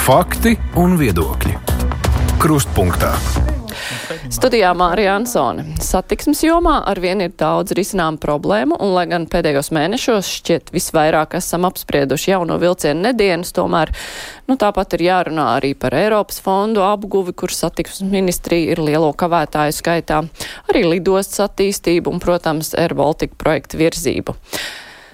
Fakti un viedokļi. Krustpunktā. Studijā Mārija Ansone. Satiksmes jomā arvien ir daudz risinām problēmu, un lai gan pēdējos mēnešos šķiet visvairāk esam apsprieduši jauno vilcienu nedienas, tomēr tāpat ir jārunā arī par Eiropas fondu apguvi, kur satiksmes ministrija ir lielo kavētāju skaitā, arī lidostas attīstību un, protams, Air Baltica projektu virzību.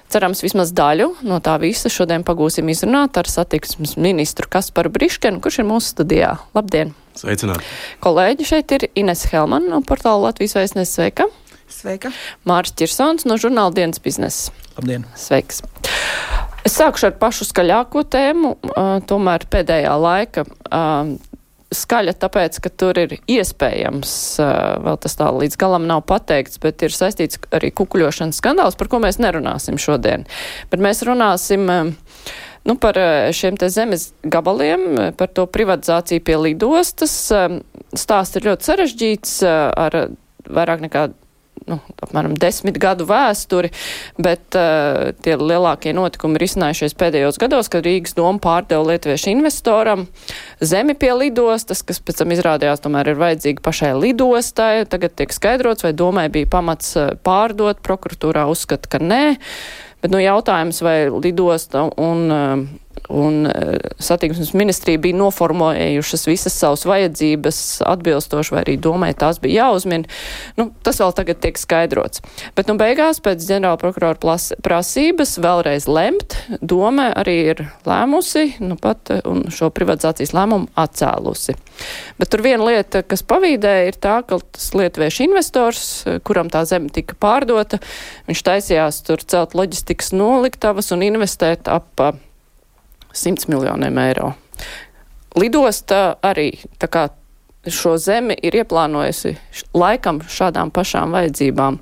Cerams, vismaz daļu no tā visa šodien pagūsim izrunāt ar satiksmes ministru Kasparu Briškenu, kurš ir mūsu studijā. Labdien! Sveicināti! Kolēģi, šeit ir Ines Helman no portāla Latvijas Vēstneses. Sveika! Sveika! Māris Čirsons no žurnāla Dienas biznesa. Labdien! Sveiks! Es sākušu ar pašu skaļāko tēmu, tomēr pēdējā laika skaļa, tāpēc, ka tur ir iespējams, vēl tas tā līdz galam nav pateikts, bet ir saistīts arī kukuļošanas skandāls, par ko mēs nerunāsim šodien. Bet mēs runāsim par šiem te zemes gabaliem, par to privatizāciju pie lidostas. Stāsts ir ļoti sarežģīts ar vairāk nekā apmēram 10 gadu vēsturi, bet tie lielākie notikumi ir izcinājušies pēdējos gados, kad Rīgas doma pārdeva lietuviešu investoram zemi pie lidostas, kas pēc tam izrādījās tomēr ir vajadzīga pašai lidostai. Tagad tiek skaidrots, vai domai bija pamats pārdot, prokuratūrā uzskata, ka nē. Bet jautājums, vai lidosta un satiksmes ministrija bija noformulējušas visas savas vajadzības atbilstoši, vai arī domāja, tās bija jāuzmin. Tas vēl tagad tiek skaidrots. Bet beigās pēc ģenerāla prokurora prasības vēlreiz lemt, doma arī ir lēmusi, pat un šo privatizācijas lēmumu atcēlusi. Bet tur viena lieta, kas pavīdēja, ir tā, ka tas lietuviešu investors, kuram tā zeme tika pārdota, viņš taisījās tur celt loģistikas noliktavas un investēt ap 100 miljoniem eiro. Lidosta arī tā kā šo zemi ir ieplānojusi laikam šādām pašām vajadzībām.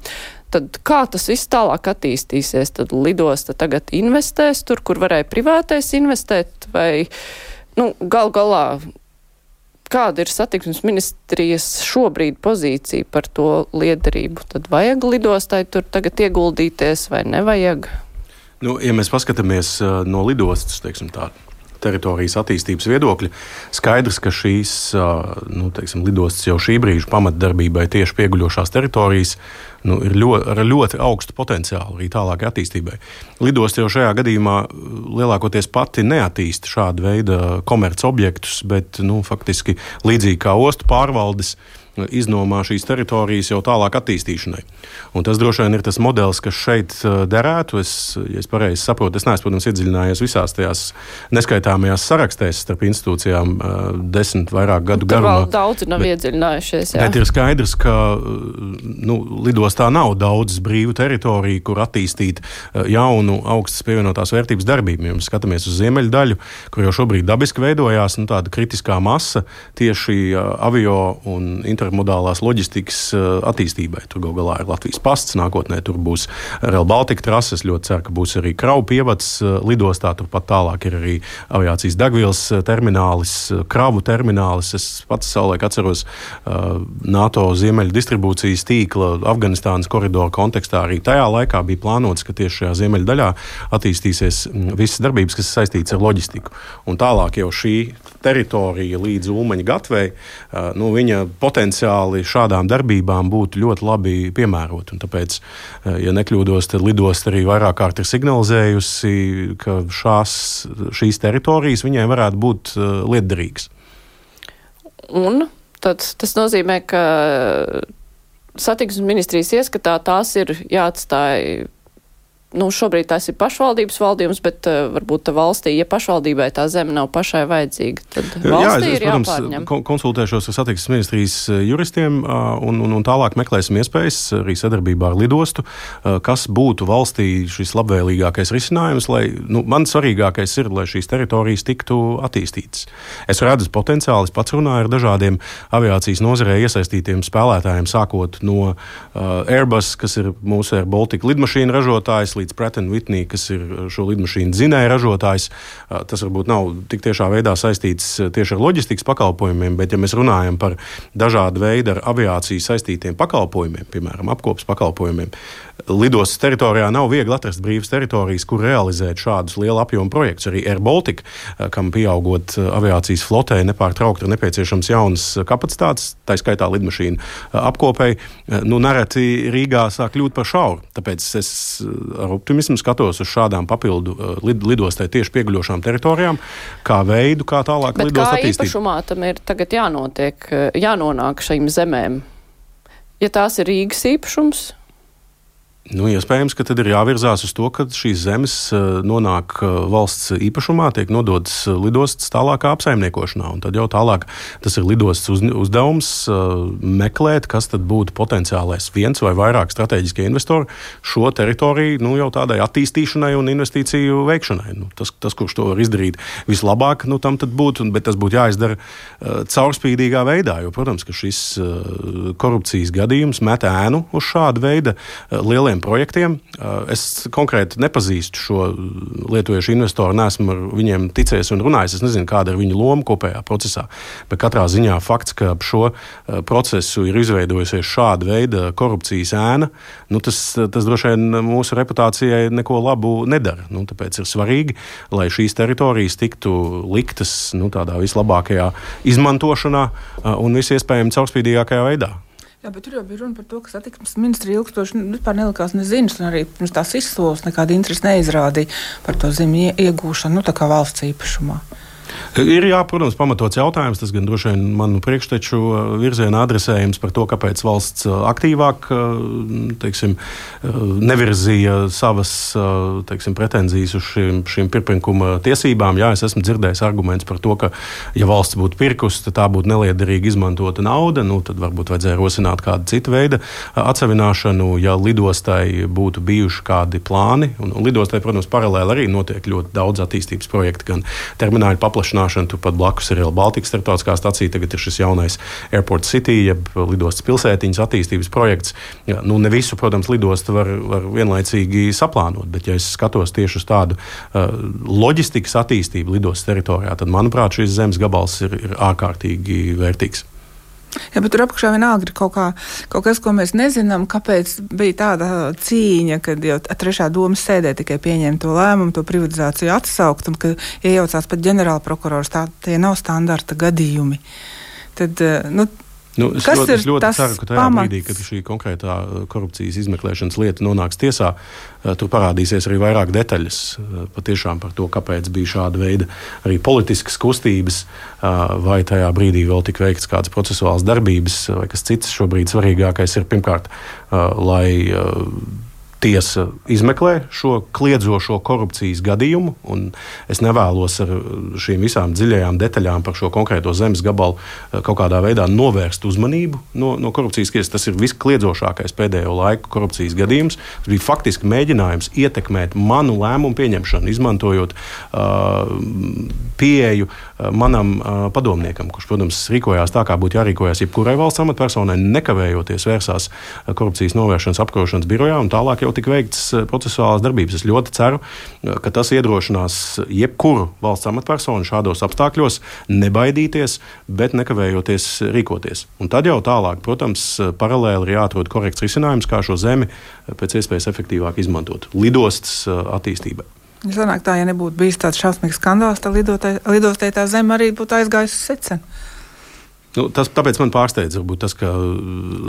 Tad kā tas viss tālāk attīstīsies? Tad lidosta tagad investēs tur, kur varēja privātais investēt, vai gal galā kāda ir satiksmes ministrijas šobrīd pozīcija par to liederību? Tad vajag lidostai tur tagad ieguldīties vai nevajag? Ja mēs paskatāmies no lidostas, teritorijas attīstības viedokļa, skaidrs, ka šīs lidostas jau šī brīža pamatdarbībai tieši pieguļošās teritorijas ir ar ļoti augstu potenciālu arī tālākai attīstībai. Lidosta jau šajā gadījumā lielākoties pati neattīsta šādu veidu komerc objektus, bet faktiski līdzīgi kā ostu pārvaldes iznomā šīs teritorijas jau tālāk attīstīšanai. Un tas droši vien ir tas modelis, kas šeit derētu. Ja es pareizi saprotu, es neesmu, protams, iedziļinājies visās tajās neskaitāmajās sarakstēs starp institūcijām 10 vairāk gadu garumā. Tur vēl daudzi nav iedziļinājušies, jā. Bet ir skaidrs, ka lidostā nav daudz brīvu teritoriju, kur attīstīt jaunu augstas pievienotās vērtības darbību. Ja mēs skatāmies uz ziemeļu daļu, kur jau šobrīd dabiski veidojās tāda kritiskā masa tieši avio un intermodālās loģistikas attīstībai. Tur gal galā ir Latvijas pasts, nākotnē tur būs Rail Baltica trases, ļoti ceru, ka būs arī kravu pievads lidostā, turpat tālāk ir arī aviācijas degvielas terminālis, kravu terminālis. Es pats savulaik atceros NATO ziemeļu distribūcijas tīkla Afganistānas koridoru kontekstā. Arī tajā laikā bija plānots, ka tieši šajā ziemeļu daļā attīstīsies visas darbības, kas saistītas ar loģistiku. Un tālāk jau šī teritorija līdz Ulmaņa gatvei, viņa potenciāli šādām darbībām būtu ļoti labi piemērot. Un tāpēc, ja nekļūdos, tad lidosta arī vairāk kārt ir signalizējusi, ka šīs teritorijas viņai varētu būt lietderīgas. Un tad tas nozīmē, ka satiksmes ministrijas ieskatā tās ir jāatstāj. Šobrīd tās ir pašvaldības valdījums, bet varbūt valstī, ja pašvaldībai tā zeme nav pašai vajadzīga, tad valstī ir jāpārņem. Konsultēšos ar satiksmes ministrijas juristiem un tālāk meklēsim iespējas arī sadarbībā ar lidostu, kas būtu valstī šis labvēlīgākais risinājums, lai, man svarīgākais ir, lai šīs teritorijas tiktu attīstītas. Es redzu potenciāli, es pats runāju ar dažādiem aviācijas nozarē iesaistītiem spēlētājiem, sākot no Airbus, kas ir mūsu Air Baltica lidmašīnu ražotājs, līdz Pratt & Whitney, kas ir šo lidmašīnu dzinēja ražotājs. Tas varbūt nav tik tiešā veidā saistīts tieši ar loģistikas pakalpojumiem, bet ja mēs runājam par dažādu veidu ar aviāciju saistītiem pakalpojumiem, piemēram, apkopas pakalpojumiem, lidostas teritorijā nav viegli atrast brīvas teritorijas, kur realizēt šādus lielu apjomu projektus. Arī Air Baltica, kam pieaugot aviācijas flotē, nepārtraukti ir nepieciešams jaunas kapacitātes, tā skaitā lidmašīnu apkopēji, nereti Rīgā sāk kļūt par šauru. Tāpēc es ar optimismu skatos uz šādām papildu lidostai tieši pieguļošām teritorijām, kā veidu, kā tālāk lidost attīstīt. Bet kā īpašumā tam ir tagad jānonāk šīm zemēm? Ja tās ir Rīgas īpašums? Iespējams, ka tad ir jāvirzās uz to, ka šīs zemes nonāk valsts īpašumā, tiek nodotas lidostas tālākā apsaimniekošanā. Un tad jau tālāk tas ir lidostas uzdevums meklēt, kas tad būtu potenciālais viens vai vairāk strateģiskie investori šo teritoriju jau tādai attīstīšanai un investīciju veikšanai. Tas, kurš to var izdarīt vislabāk, tam tad būtu, bet tas būtu jāizdara caurspīdīgā veidā, jo, protams, ka šis korupcijas gadījums met ēnu uz šādu veidu lieliem projektiem. Es konkrēti nepazīstu šo lietuviešu investoru, neesmu ar viņiem ticējis un runājis. Es nezinu, kāda ir viņa loma kopējā procesā. Bet katrā ziņā fakts, ka ap šo procesu ir izveidojusies šāda veida korupcijas ēna, tas droši vien mūsu reputācijai neko labu nedara. Tāpēc ir svarīgi, lai šīs teritorijas tiktu liktas tādā vislabākajā izmantošanā un visiespējami caurspīdīgākajā veidā. Jā, bet tur jau bija runa par to, ka satiksmes ministrija ilgstoši vispār nelikās neziņas, un arī pirms tās izsoles nekāda interesi neizrādīja par to zemi iegūšanu, tā kā valsts īpašumā. Ir, protams, pamatots jautājums, tas gan droši vien manu priekšteču virzienā adresējums par to, kāpēc valsts aktīvāk, nevirzīja savas, pretenzijas uz šīm pirkuma tiesībām. Jā, es esmu dzirdējis arguments par to, ka, ja valsts būtu pirkusi, tad tā būtu neliederīgi izmantota nauda, tad varbūt vajadzēja rosināt kādu citu veidu atsevināšanu, ja lidostai būtu bijuši kādi plāni. Un lidostai, protams, paralēli arī notiek ļoti daudz attīstības projektu, gan termināļu paplašināšana, turpat blakus ir Air Baltica starptautiskā stacija, tagad ir šis jaunais Airport City, jeb lidostas pilsētiņas attīstības projekts. Ne visu, protams, lidostu var vienlaicīgi saplānot, bet ja es skatos tieši uz tādu loģistikas attīstību lidostas teritorijā, tad, manuprāt, šis zemes gabals ir ārkārtīgi vērtīgs. Jā, bet tur apakšā vienalga ir kaut kas, ko mēs nezinām, kāpēc bija tāda cīņa, kad jau trešā domas sēdē tikai pieņēma to lēmumu, to privatizāciju atsaukt, un ka iejaucās pat ģenerālprokurors, tie nav standarta gadījumi. Tad, es ļoti ceru, ka tajā brīdī, kad šī konkrētā korupcijas izmeklēšanas lieta nonāks tiesā, tur parādīsies arī vairāk detaļas patiešām par to, kāpēc bija šāda veida arī politiskas kustības, vai tajā brīdī vēl tik veikts kādas procesuālas darbības, vai kas cits. Šobrīd svarīgākais ir pirmkārt, lai tiesa izmeklē šo kliedzošo korupcijas gadījumu, un es nevēlos ar šīm visām dziļajām detaļām par šo konkrēto zemes gabalu kaut kādā veidā novērst uzmanību no korupcijas tiesas. Tas ir viskliedzošākais pēdējo laiku korupcijas gadījums. Tas bija faktiski mēģinājums ietekmēt manu lēmumu pieņemšanu, izmantojot pieeju manam padomniekam, kurš, protams, rīkojās tā, kā būtu jārīkojas jebkurai valsts amatpersonai, nekavējoties vērsās korupcijas novēršanas apkarošanas birojā, un tālāk jau tika veikts procesuālās darbības. Es ļoti ceru, ka tas iedrošinās jebkuru valsts amatpersonu šādos apstākļos nebaidīties, bet nekavējoties rīkoties. Un tad jau tālāk, protams, paralēli ir jāatrod korekts risinājums, kā šo zemi pēc iespējas efektīvāk izmantot lidostas attīstībai. Sanāk tā, ja nebūtu bijis tāds šausmīgs skandāls, tad lidostai tā zeme arī būtu aizgājusi secen. Tāpēc man pārsteidz varbūt tas, ka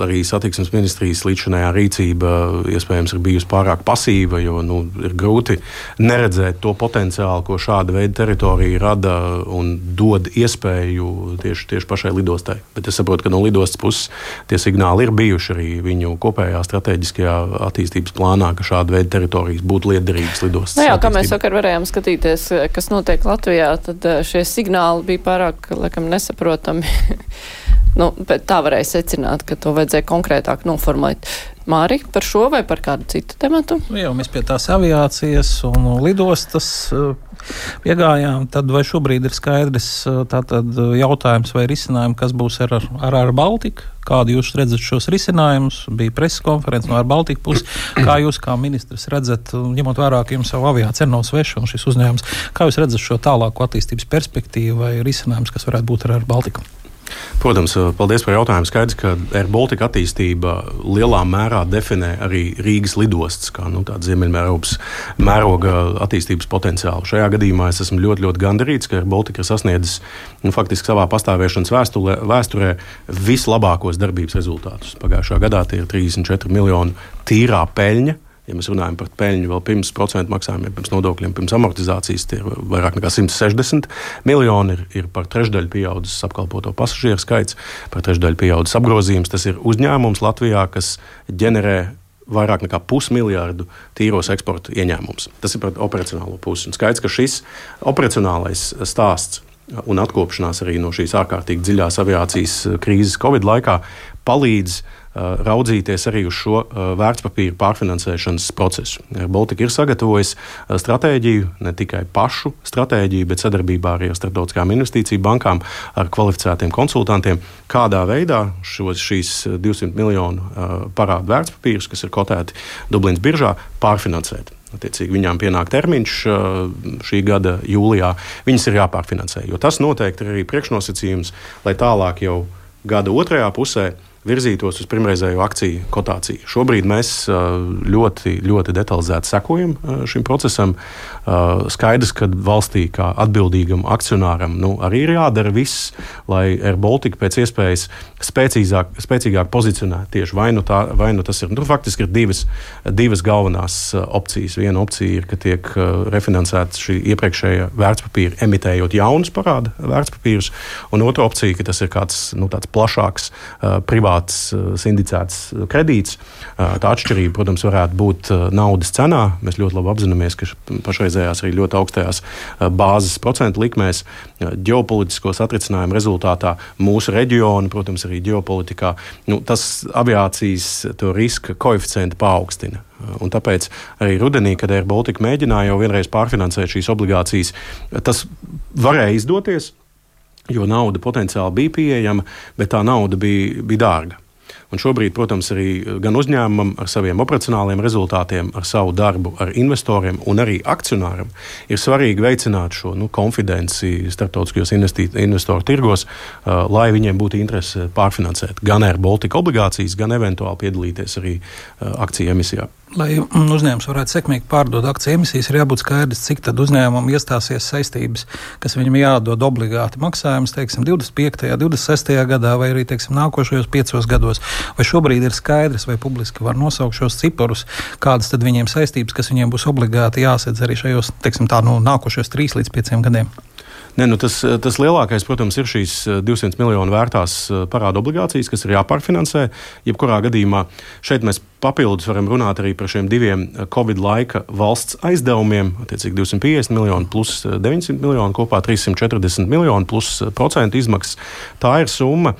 arī satiksmes ministrijas līdzinājā rīcība iespējams ir bijusi pārāk pasīva, jo ir grūti neredzēt to potenciālu, ko šāda veida teritorija rada un dod iespēju tieši pašai lidostai. Bet es saprotu, ka no lidostas puses tie signāli ir bijuši arī viņu kopējā strateģiskajā attīstības plānā, ka šāda veida teritorijas būtu liederīgas lidostas. Kā mēs vakar varējām skatīties, kas notiek Latvijā, tad šie signāli bija pārāk, laikam, nesaprotami. Bet tā varēja secināt, ka to vajadzēja konkrētāk noformulēt. Māri, par šo vai par kādu citu tematu? Jau mēs pie tās aviācijas un lidostas piegājām, tad vai šobrīd ir skaidrs tātad jautājums vai risinājumi, kas būs ar Baltiku? Kādu jūs redzat šos risinājumus? Bija preses konferences no ar Baltiku puses. Kā jūs kā ministrs redzat, ņemot vērā, ka jums savu aviāciju nav sveša un šis uzņēmums, kā jūs redzat šo tālāko attīstības perspektīvu vai risinājumus, kas varētu būt ar Baltiku? Protams, paldies par jautājumu. Skaidrs, ka Air Baltica attīstība lielā mērā definē arī Rīgas lidostas, kā tāda Ziemeļeiropas mēroga attīstības potenciālu. Šajā gadījumā es esmu ļoti, ļoti gandarīts, ka Air Baltica ir sasniedzis faktiski savā pastāvēšanas vēsturē vislabākos darbības rezultātus. Pagājušā gadā tie ir 34 miljoni tīrā peļņa. Ja mēs runājam par peļņu vēl pirms procentu maksājumiem, pirms nodokļiem, pirms amortizācijas, tie ir vairāk nekā 160 miljoni, ir par trešdaļu pieaudzis apkalpoto pasažieru skaits, par trešdaļu pieaudzis apgrozījums. Tas ir uzņēmums Latvijā, kas ģenerē vairāk nekā 500 miljardu tīros eksporta ieņēmums. Tas ir par operacionālo pusi. Un skaidrs, ka šis operacionālais stāsts un atkopšanās arī no šīs ārkārtīgi dziļās aviācijas krīzes Covid laikā palīdz raudzīties arī uz šo vērtspapīru pārfinansēšanas procesu. Baltika ir sagatavojis stratēģiju, ne tikai pašu stratēģiju, bet sadarbībā arī ar starptautiskām investīciju bankām, ar kvalificētiem konsultantiem, kādā veidā šīs 200 miljonu parādu vērtspapīrus, kas ir kotēti Dublinas biržā, pārfinansēt. Attiecīgi viņām pienāk termiņš šī gada jūlijā. Viņas ir jāpārfinansē, jo tas noteikti ir arī priekšnosacījums, lai tālāk jau gada otrajā pusē virzītos uz pirmreizējo akciju kotāciju. Šobrīd mēs ļoti, ļoti detalizēti sekojam šim procesam. Skaidrs, ka valstī kā atbildīgam akcionāram arī ir jādara viss, lai Air Baltica pēc iespējas spēcīgāk pozicionētu tieši vai nu tas ir. Faktiski ir divas galvenās opcijas. Viena opcija ir, ka tiek refinansēta šī iepriekšējā vērtspapīra, emitējot jaunus parāda vērtspapīrus, un otra opcija, ka tas ir kāds tāds plašāks privāts sindicēts kredīts. Tā atšķirība, protams, varētu būt naudas cenā. Mēs ļoti labi apzināmies, ka pašreizējās arī ļoti augstajās bāzes procentu likmēs ģeopolitisko satricinājumu rezultātā mūsu reģionu, protams, arī ģeopolitikā, tas aviācijas to riska koeficientu paaugstina. Un tāpēc arī rudenī, kad Air Baltica mēģināja jau vienreiz pārfinansēt šīs obligācijas, tas varēja izdoties, jo nauda potenciāli bija pieejama, bet tā nauda bija dārga. Un šobrīd, protams, arī gan uzņēmumam ar saviem operacionāliem rezultātiem, ar savu darbu, ar investoriem un arī akcionāram ir svarīgi veicināt šo konfidenci starptautiskajos investoru tirgos, lai viņiem būtu interese pārfinansēt gan Air Baltica obligācijas, gan eventuāli piedalīties arī akciju emisijā. Lai uzņēmums varētu sekmīgi pārdot akciju emisijas, ir jābūt skaidrs, cik tad uzņēmumam iestāsies saistības, kas viņam jādod obligāti maksājums, 25., 26. gadā vai arī, nākošajos 5 gados. Vai šobrīd ir skaidrs, vai publiski var nosaukt šos ciparus, kādas tad viņiem saistības, kas viņiem būs obligāti jāsedz arī šajos, nākošajos 3 līdz 5 gadiem? Tas lielākais, protams, ir šīs 200 miljonu vērtās parāda obligācijas, kas ir jāpārfinansē. Jebkurā gadījumā šeit mēs papildus varam runāt arī par šiem diviem Covid laika valsts aizdevumiem, attiecīgi 250 miljoni plus 900 miljoni, kopā 340 miljoni plus procentu izmaksas. Tā ir summa,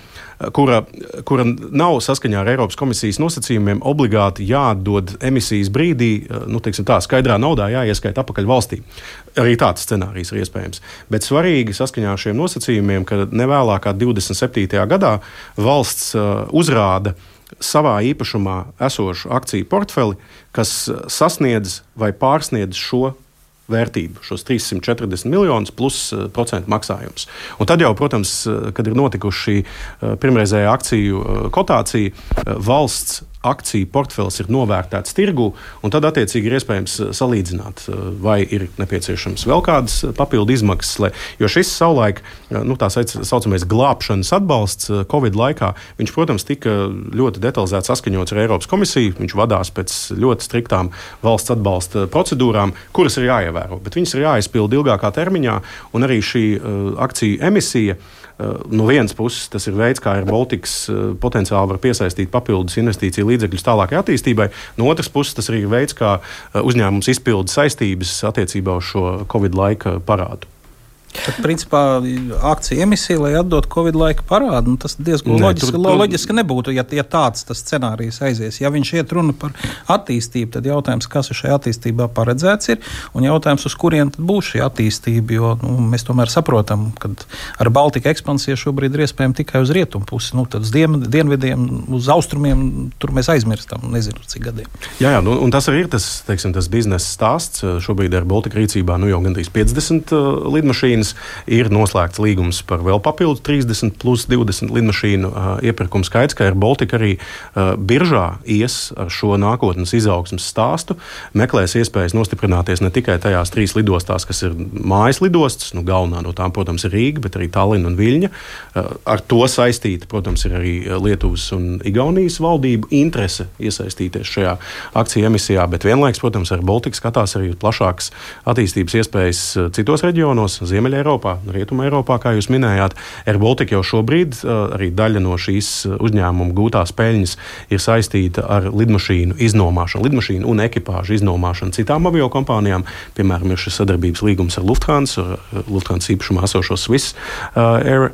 kura nav saskaņā ar Eiropas komisijas nosacījumiem obligāti jādod emisijas brīdī, skaidrā naudā jāieskaita apakaļ valstī. Arī tāds scenārijs ir iespējams. Bet svarīgi saskaņā ar šiem nosacījumiem, ka nevēlākā 27. gadā valsts uzrāda savā īpašumā esošu akciju portfeli, kas sasniedz vai pārsniedz šo vērtību, šos 340 miljonus plus procentu maksājums. Un tad jau, protams, kad ir notikuši šī pirmreizējā akciju kotācija, valsts akciju portfels ir novērtēts tirgu, un tad attiecīgi ir iespējams salīdzināt, vai ir nepieciešams vēl kādas papildu izmaksas, jo šis savulaik, tā saucamais glābšanas atbalsts Covid laikā, viņš, protams, tika ļoti detalizēti saskaņots ar Eiropas komisiju, viņš vadās pēc ļoti striktām valsts atbalsta procedūrām, kuras ir jāievēro, bet viņas ir jāizpilda ilgākā termiņā, un arī šī akciju emisija, no vienas puses tas ir veids, kā Air Baltics potenciāli var piesaistīt papildus investīciju līdzekļus tālākai attīstībai. No otras puses tas arī ir veids, kā uzņēmums izpilda saistības attiecībā uz šo Covid laika parādu. Tad, principā, akciju emisija, lai atdot Covid laika parādu, tas diezgan loģiski nebūtu, ja tāds tas scenārijs aizies. Ja viņš iet runa par attīstību, tad jautājums, kas šajā attīstībā paredzēts ir, un jautājums, uz kurien tad būs šī attīstība, jo mēs tomēr saprotam, ka ar Baltika ekspansiju šobrīd ir iespējama tikai uz rietumu pusi, tad uz dienvidiem, uz austrumiem, tur mēs aizmirstam, nezinu, cik gadiem. Jā, un tas arī ir tas biznesa stāsts. Šobrīd ar Baltika rīcībā jau gandrīz 50 lidmašīnas. lidmašīnas. Ir noslēgts līgums par vēl papildus 30 plus 20 lidmašīnu iepirkumu. Skaidrs, ka Air Baltica arī biržā ies ar šo nākotnes izaugsmes stāstu, meklēs iespējas nostiprināties ne tikai tajās 3 lidostās, kas ir mājas lidostas, galvenā no tām, protams, ir Rīga, bet arī Tallina un Viļņa. Ar to saistīta, protams, ir arī Lietuvas un Igaunijas valdību interese iesaistīties šajā akciju emisijā, bet vienlaiks, protams, Air Baltica skatās arī plašākas attīstības iespējas citos reģionos, Ziemeļa Eiropā, Rietuma Eiropā, kā jūs minējāt. Air Baltica jau šobrīd arī daļa no šīs uzņēmuma gūtās peļņas ir saistīta ar lidmašīnu iznomāšanu, lidmašīnu un ekipāžu iznomāšanu citām aviokompānijām. Piemēram, ir šis sadarbības līgums ar Lufthansa īpašumā esošo Swiss Air.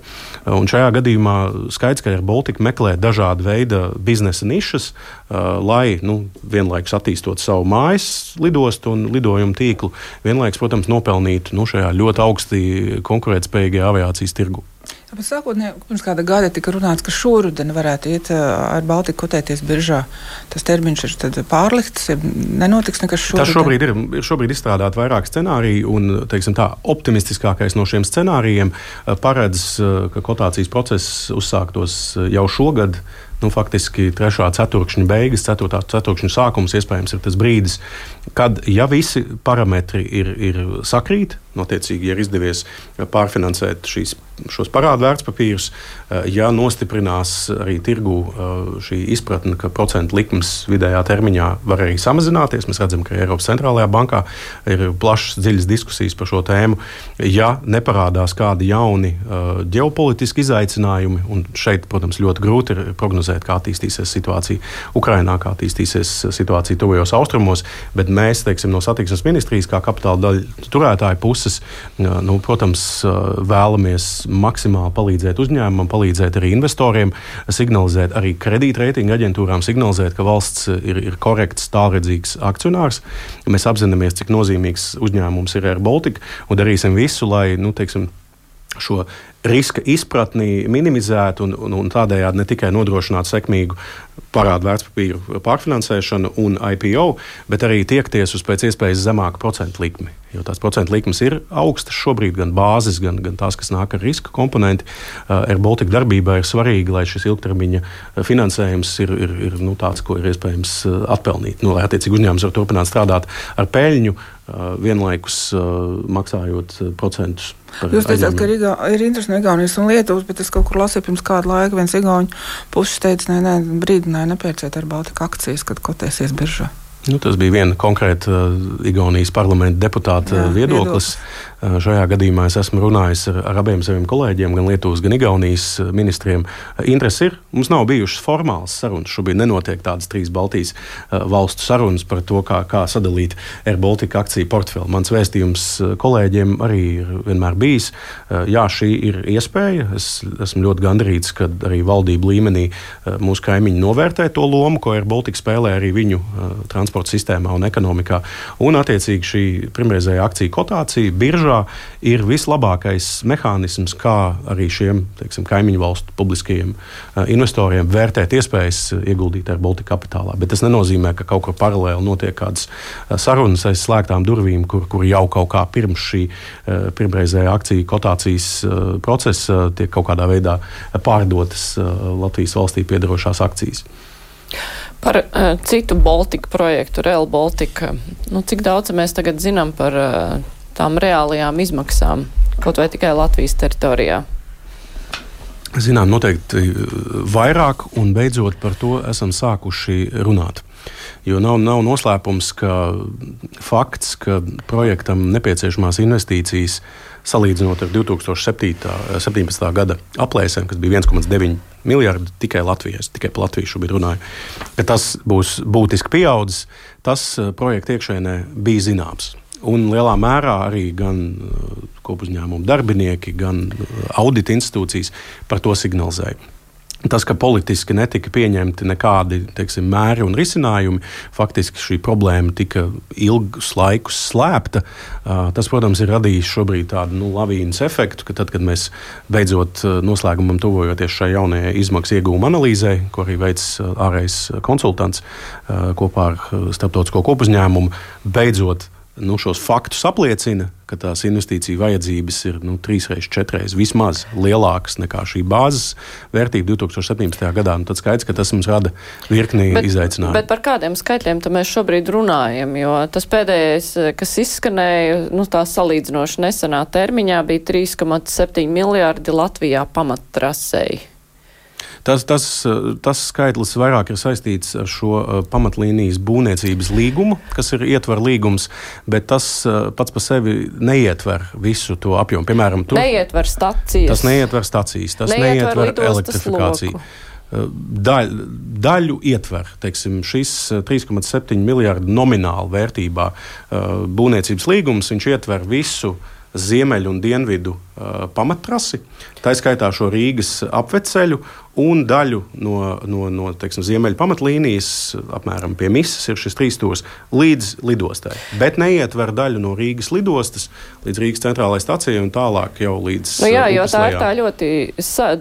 Un šajā gadījumā skaidrs, ka Air Baltica meklē dažādu veidu biznesa nišas, lai vienlaikus attīstot savu mājas lidostu un lidojumu tīklu, vienlaikus, protams, nopelnītu šajā ļoti augsti konkurētspējīgajā aviācijas tirgu. Bet sākotnēji, pirms kāda gada tika runāts, ka šoruden varētu iet ar Baltiku kotēties biržā. Tas termiņš ir tad pārlikts, nenotiks nekas šoruden. Tas šobrīd izstrādāt vairāk scenāriju, un, teiksim tā, optimistiskākais no šiem scenārijiem paredz, ka kotācijas process uzsāktos jau šogad. Faktiski 3. ceturkšņa beigas, 4. ceturkšņa sākums iespējams ir tas brīdis, kad, ja visi parametri ir sakrīt, attiecīgi, ja ir izdevies pārfinansēt šos parādu vērtspapīrus, ja nostiprinās arī tirgu šī izpratne, ka procentu likmes vidējā termiņā var arī samazināties. Mēs redzam, ka Eiropas centrālajā bankā ir plašas, dziļas diskusijas par šo tēmu. Ja neparādās kādi jauni ģeopolitiski izaicinājumi, un šeit, protams, ļoti grūti ir prognozēt, kā attīstīsies situācija Ukrainā, kā attīstīsies situācija tuvajos austrumos, bet mēs, teiksim, no satiksmes ministrijas kā kapitāla daļu turētāju puses, protams, vēlamies maksimāli palīdzēt uzņēmumam, palīdzēt arī investoriem, signalizēt arī kredītreitinga aģentūrām, signalizēt, ka valsts ir korekts, tālredzīgs akcionārs. Mēs apzināmies, cik nozīmīgs uzņēmums ir Air Baltica, un darīsim visu, lai, šo riska izpratni minimizētu un tādējādi ne tikai nodrošinātu sekmīgu parādu vērtspapīru pārfinansēšanu un IPO, bet arī tiekties uz pēc iespējas zemāku procentu likmi. Jo tās procentu likmes ir augstas šobrīd, gan bāzes, gan tās, kas nāk ar riska komponenti. Air Baltica darbībā ir svarīgi, lai šis ilgtermiņa finansējums ir tāds, ko ir iespējams atpelnīt. Lai attiecīgi uzņēmums var turpināt strādāt ar peļņu, vienlaikus maksājot procentus. Jūs teicāt, ka ir interesi no Igaunijas un Lietuvas, bet es kaut kur lasīju pirms kāda laika, viens igauņu puses teica, brīdināja nepērciet Air Baltica akcijas, kad kotēsies biržā. Tas bija viena konkrēta Igaunijas parlamenta deputāta viedoklis. Šajā gadījumā es esmu runājis ar abiem saviem kolēģiem, gan Lietuvas, gan Igaunijas ministriem. Interesi ir. Mums nav bijušas formālas sarunas. Šobrīd nenotiek tādas 3 Baltijas valstu sarunas par to, kā sadalīt Air Baltica akciju portfeli. Mans vēstījums kolēģiem arī ir vienmēr bijis. Jā, šī ir iespēja. Es esmu ļoti gandarīts, ka arī valdību līmenī mūsu kaimiņi novērtē to lomu, ko Air Baltica spēlē arī viņu transporta sistēmā un ekonomikā. Un, attiecīgi, šī pirmreizējā akciju kotācija biržā ir vislabākais mehānisms, kā arī šiem, teiksim, kaimiņu valstu publiskajiem investoriem vērtēt iespējas ieguldīt Air Baltica kapitālā. Bet tas nenozīmē, ka kaut kur paralēli notiek kādas sarunas aiz slēgtām durvīm, kur jau kaut kā pirms šī pirmreizējā akciju kotācijas procesa tiek kaut kādā veidā pārdotas Latvijas valstī piederošās akcijas. Par citu Baltika projektu, Rail Baltica, cik daudz mēs tagad zinām par tām reālajām izmaksām, kaut vai tikai Latvijas teritorijā? Zinām, noteikti vairāk, un beidzot par to esam sākuši runāt. Jo nav noslēpums, ka fakts, ka projektam nepieciešamās investīcijas salīdzinot ar 2017. Gada aplēsēm, kas bija 1,9 miljardi tikai Latvijas, tikai par Latviju šobrīd runāju, ka tas būs būtiski pieaudzis, tas projekta iekšēnē bija zināms. Un lielā mērā arī gan kopuzņēmumu darbinieki, gan audita institūcijas par to signalizēja. Tas, ka politiski netika pieņemti nekādi, teiksim, mēri un risinājumi, faktiski šī problēma tika ilgus laikus slēpta. Tas, protams, ir radījis šobrīd tādu lavīnas efektu, ka tad, kad mēs beidzot noslēgumam tuvojoties šai jaunajai izmaksu ieguvuma analīzē, ko arī veic ārējais konsultants kopā ar starptautisko kopuzņēmumu, beidzot šos faktus apliecina, ka tās investīciju vajadzības ir 3-4 vismaz lielākas nekā šī bāzes vērtība 2017. gadā. Tad skaidrs, ka tas mums rada virkni izaicinājumu. Bet par kādiem skaitļiem mēs šobrīd runājam? Jo tas pēdējais, kas izskanēja, tā salīdzinoši nesenā termiņā, bija 3,7 miljārdi Latvijā pamattrasei. Tas skaitlis vairāk ir saistīts ar šo pamatlīnijas būvniecības līgumu, kas ir ietver līgums, bet tas pats par sevi neietver visu to apjomu. Piemēram, neietver stacijas. Tas neietver stacijas, tas neietver elektrifikāciju. Daļu ietver, šis 3,7 miljārdu nomināli vērtībā būvniecības līgums, viņš ietver visu ziemeļu un dienvidu pamattrasi, tā skaitā šo Rīgas apveceļu un daļu no ziemeļu pamatlīnijas, apmēram pie Misas ir šis 3 stūrs, līdz lidostai. Bet neietver daļu no Rīgas lidostas līdz Rīgas centrālajai stacijai un tālāk jau līdz jo tā ir tā ļoti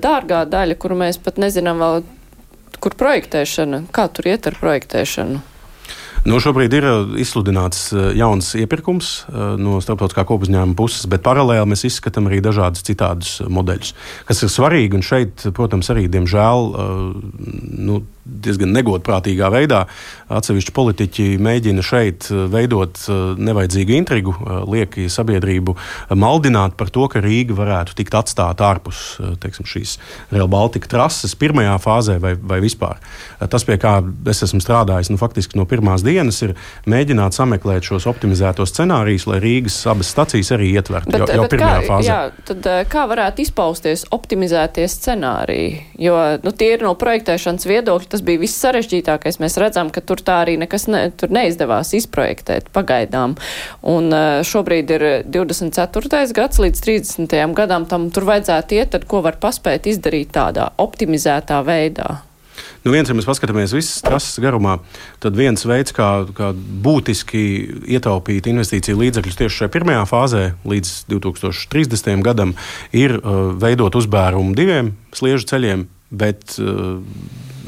dārgā daļa, kuru mēs pat nezinām vēl, kur projektēšana, kā tur iet ar projektēšanu. Šobrīd ir izsludināts jauns iepirkums no starptautiskā kopuzņēmuma puses, bet paralēli mēs izskatām arī dažādus citādus modeļus, kas ir svarīgi. Un šeit, protams, arī, diemžēl, diezgan negodprātīgā veidā atsevišķi politiķi mēģina šeit veidot nevajadzīgu intrigu, lieki sabiedrību maldināt par to, ka Rīga varētu tikt atstāta ārpus šīs Rail Baltica trases pirmajā fāzē vai vispār. Tas, pie kā es esmu strādājis faktiski no pirmās dienas, ir mēģināt sameklēt šos optimizētos scenārijus, lai Rīgas abas stacijas arī ietvertu jau pirmajā fāzē. Tad kā varētu izpausties optimizētie scenāriji? Jo tie ir no projektēšanas viedokļa, tas bija viss sarežģītākais. Mēs redzam, ka tur tā arī nekas tur neizdevās izprojektēt pagaidām. Un šobrīd ir 24. gads līdz 30. gadam, tur vajadzētu iet, tad ko var paspēt izdarīt tādā optimizētā veidā? Viens, ja mēs paskatāmies visas trases garumā, tad viens veids, kā būtiski ietaupīt investīciju līdzekļus tieši šajā pirmajā fāzē līdz 2030. gadam, ir veidot uzbērumu 2 sliežu ceļiem, bet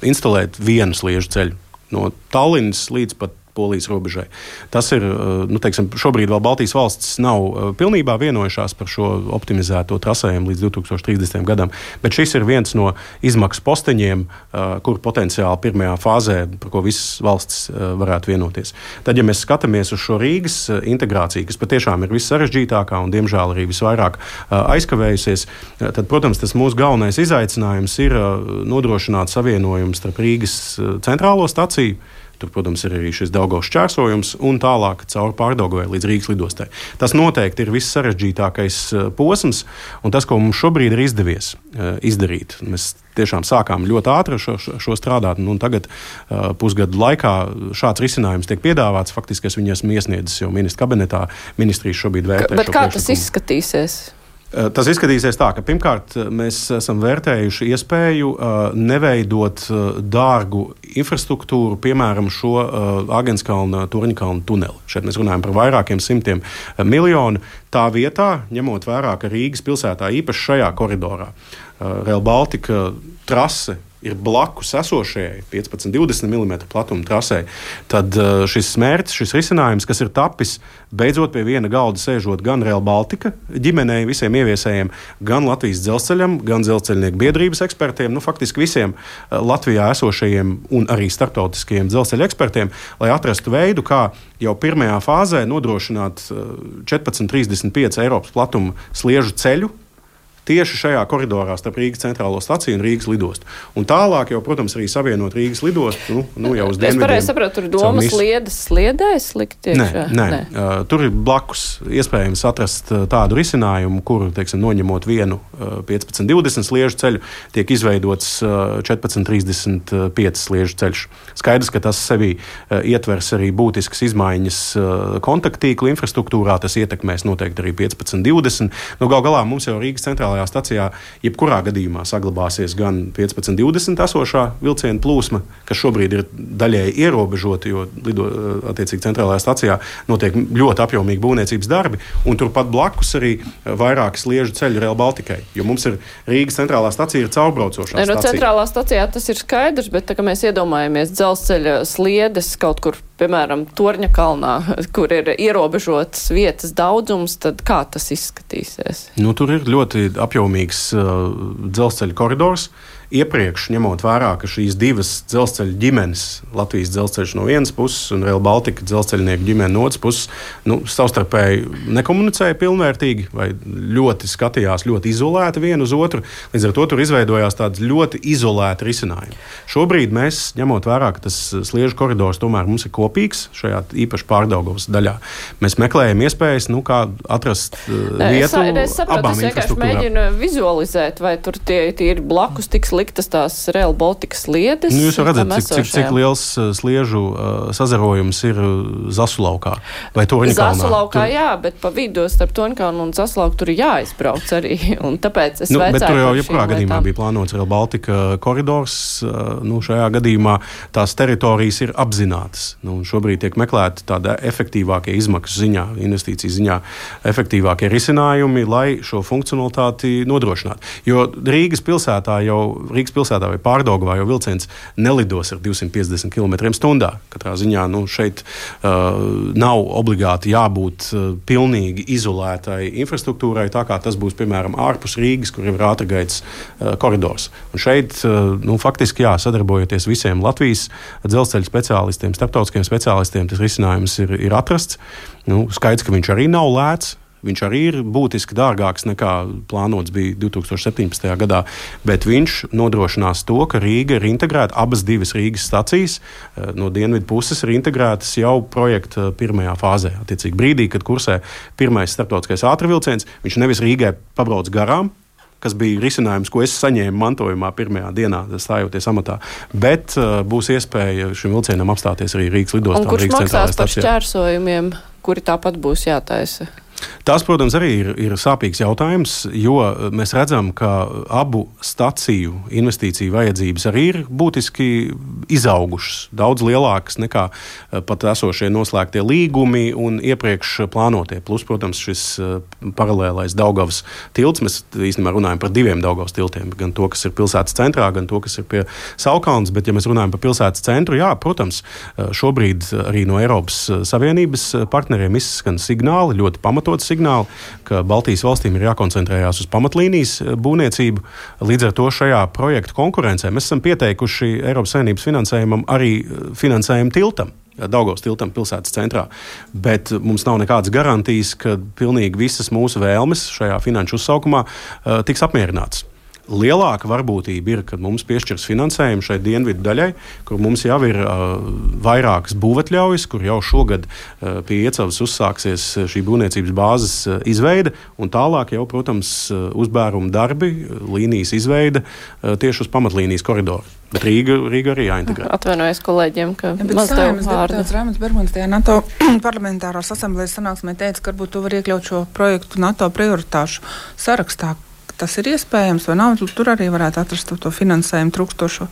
instalēt 1 sliežu ceļu no Tallinas līdz pat Polijas robežai. Tas ir, šobrīd vēl Baltijas valstis nav pilnībā vienojušās par šo optimizēto trasējumu līdz 2030. gadam, bet šis ir viens no izmaksu posteņiem, kur potenciāli pirmajā fāzē, par ko visas valstis varētu vienoties. Tad, ja mēs skatāmies uz šo Rīgas integrāciju, kas patiešām ir vissarežģītākā un, diemžēl, arī visvairāk aizkavējusies, tad, protams, tas mūsu galvenais izaicinājums ir nodrošināt savienojumu starp Rīgas centrālo staciju. Tur, protams, ir arī šis Daugavas šķērsojums un tālāk cauri Pārdaugavai līdz Rīgas lidostai. Tas noteikti ir viss sarežģītākais posms, un tas, ko mums šobrīd ir izdevies izdarīt. Mēs tiešām sākām ļoti ātri šo strādāt, un tagad pusgadu laikā šāds risinājums tiek piedāvāts. Faktiski es viņu esmu iesniedzis jau ministra kabinetā. Ministrijas šobrīd vērtē. Bet kā tas izskatīsies? Tas izskatīsies tā, ka pirmkārt mēs esam vērtējuši iespēju neveidot dārgu infrastruktūru, piemēram, šo Āgenskalna, Torņkalna tuneli. Šeit mēs runājam par vairākiem simtiem miljonu. Tā vietā, ņemot vērā, ka Rīgas pilsētā īpaši šajā koridorā Rail Baltica trase ir blakus esošajai 15-20 mm platuma trasē, tad šis mērķis, šis risinājums, kas ir tapis, beidzot pie viena galda sēžot gan Rail Baltica ģimenei, visiem ieviesējiem, gan Latvijas dzelzceļam, gan dzelzceļnieku biedrības ekspertiem, faktiski visiem Latvijā esošajiem un arī starptautiskajiem dzelzceļa ekspertiem, lai atrastu veidu, kā jau pirmajā fāzē nodrošināt 14,35 Eiropas platuma sliežu ceļu, tieši šajā koridorā starp Rīgas centrālo staciju un Rīgas lidostu. Un tālāk jau, protams, arī savienot Rīgas lidostu, jau uz dienvidiem. Es pareizi sapratu, tur domas sliedēs likt iekšā? Nē. Tur ir blakus iespējams atrast tādu risinājumu, kuru, noņemot vienu 15-20 sliežu ceļu, tiek izveidots 14-35 sliežu ceļš. Skaidrs, ka tas sevī ietvers arī būtiskas izmaiņas kontakttīklu infrastruktūrā, tas ietekmēs noteikti arī 15-20. Gal galā mums jau Rīgas centrālā stacijā jebkurā gadījumā saglabāsies gan 15-20 esošā vilciena plūsma, kas šobrīd ir daļēji ierobežota, jo attiecīgi centrālajā stacijā notiek ļoti apjomīgi būvniecības darbi, un turpat blakus arī vairāki sliežu ceļi Rail Balticai, jo mums ir Rīgas centrālā stacija ir caurbraucošā stacija. Centrālā stacijā tas ir skaidrs, bet tā kā mēs iedomājamies dzelzceļa sliedes kaut kur piemēram, Torņa kalnā, kur ir ierobežotas vietas daudzums, tad kā tas izskatīsies? Tur ir ļoti apjomīgs dzelzceļa koridors. Iepriekš, ņemot vērā, ka šīs divas dzelzceļa ģimenes, Latvijas dzelzceļš no vienas puses un Rail Baltica dzelzceļnieku ģimene no otras puses, savstarpēji nekomunicēja pilnvērtīgi vai ļoti skatījās ļoti izolēti vienu uz otru. Līdz ar to tur izveidojās tāds ļoti izolēti risinājumi. Šobrīd mēs, ņemot vērā, ka tas sliežu koridors tomēr mums ir kopīgs šajā īpaši Pārdaugavas daļā, mēs meklējam iespējas, kā atrast vietu abām infrastruktūrām. Es vienkārši mēģinu vizualizēt, vai tur tie ir blakus tiks liktas tās Rail Baltica sliedes. Jūs jau redzat, cik liels sliežu sazarojums ir Zasulaukā vai Torņakalnā. Zasulaukā, jā, bet pa vidu starp Torņakalnu un Zasulauku tur ir jāizbrauc arī. Un tāpēc es bet tur jau jebkurā gadījumā bija plānots Rail Baltica koridors. Šajā gadījumā tās teritorijas ir apzinātas. Šobrīd tiek meklēti tāda efektīvākie izmaksu ziņā, investīciju ziņā, efektīvākie risinājumi, lai šo funkcionalitāti nodrošinātu. Jo Rīgas pilsētā vai Pārdaugavā jau vilciens nelidos ar 250 km/h. Katrā ziņā šeit nav obligāti jābūt pilnīgi izolētai infrastruktūrai, tā kā tas būs, piemēram, ārpus Rīgas, kur ir ātrgaitas koridors. Un šeit, faktiski, sadarbojoties visiem Latvijas dzelzceļa speciālistiem, starptautiskiem speciālistiem, tas risinājums ir atrasts. Skaidrs, ka viņš arī nav lēts. Viņš arī ir būtiski dārgāks nekā plānots bija 2017. gadā, bet viņš nodrošinās to, ka Rīga ir integrēta, abas divas Rīgas stacijas no dienvidu puses ir integrētas jau projekta pirmajā fāzē. Attiecīgi brīdī, kad kursē pirmais starptautiskais ātrvilciens, viņš nevis Rīgai pabrauc garām, kas bija risinājums, ko es saņēmu mantojumā pirmajā dienā, stājoties amatā, bet būs iespēja šim vilcienam apstāties arī Rīgas lidostā. Un kurš maksās par šķērsojumiem, kuri tāpat būs jātaisa? Tas, protams, arī ir sāpīgs jautājums, jo mēs redzam, ka abu staciju investīciju vajadzības arī ir būtiski izaugušas, daudz lielākas nekā pat esošie noslēgtie līgumi un iepriekš plānotie. Plus, protams, šis paralēlais Daugavas tilts, mēs īstenībā runājam par diviem Daugavas tiltiem, gan to, kas ir pilsētas centrā, gan to, kas ir pie Saulkalnes, bet ja mēs runājam par pilsētas centru, jā, protams, šobrīd arī no Eiropas Savienības partneriem izskan signāli, ļoti pamatot signāli, ka Baltijas valstīm ir jākoncentrējās uz pamatlīnijas būvniecību. Līdz ar to šajā projektu konkurencē mēs esam pieteikuši Eiropas Savienības finansējumam arī finansējumu tiltam, Daugavas tiltam pilsētas centrā. Bet mums nav nekādas garantijas, ka pilnīgi visas mūsu vēlmes šajā finanšu uzsaukumā tiks apmierinātas. Lielāka varbūtība ir, kad mums piešķirs finansējumu šai dienvidu daļai, kur mums jau ir vairākas būvatļaujas, kur jau šogad pie Iecavas uzsāksies šī būvniecības bāzes izveide, un tālāk jau, protams, uzbēruma darbi, līnijas izveide tieši uz pamatlīnijas koridoru. Bet Rīga arī jāintegrē. Atvainojos kolēģiem, ka maz tev vārdu. Raimunds Bergmanis tajā NATO parlamentārās asamblējas sanāksmē teica, ka varbūt tu var iekļaut šo projektu NATO prioritāšu sarakstā. Tas ir iespējams, vai nav? Tur arī varētu atrast to finansējumu trūkstošo.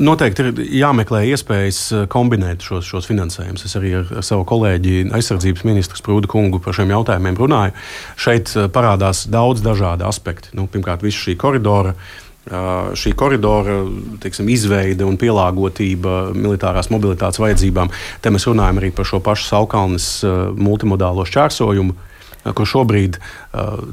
Noteikti ir jāmeklē iespējas kombinēt šos finansējumus. Es arī ar savu kolēģi aizsardzības ministru Sprūdu kungu par šiem jautājumiem runāju. Šeit parādās daudz dažādi aspekti. Pirmkārt, visa šī koridora, teiksim, izveide un pielāgotība militārās mobilitātes vajadzībām. Te mēs runājam arī par šo pašu Saulkalnes multimodālo šķērsojumu, kur šobrīd,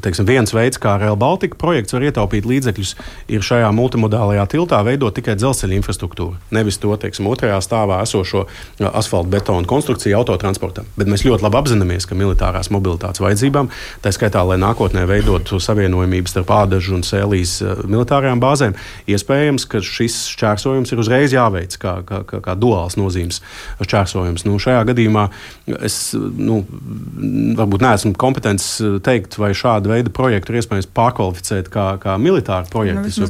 teiksim, viens veids, kā Rail Baltica projekts var ietaupīt līdzekļus, ir šajā multimodālajā tiltā veidot tikai dzelzceļa infrastruktūru. Nevis to, teiksim, otrajā stāvā esošo asfaltu betonu konstrukciju autotransportam. Bet mēs ļoti labi apzināmies, ka militārās mobilitātes vajadzībām, tā skaitā, lai nākotnē veidotu savienojumības starp Ādažu un Sēlijas militārajām bāzēm, iespējams, ka šis šķērsojums ir uzreiz jāveic kā duāls nozīmes šķērsojums. Šajā gadījumā es, varbūt neesmu kompetents teikt, vai šādu veidu projektu ir iespējams pārkvalificēt kā militāru projektu.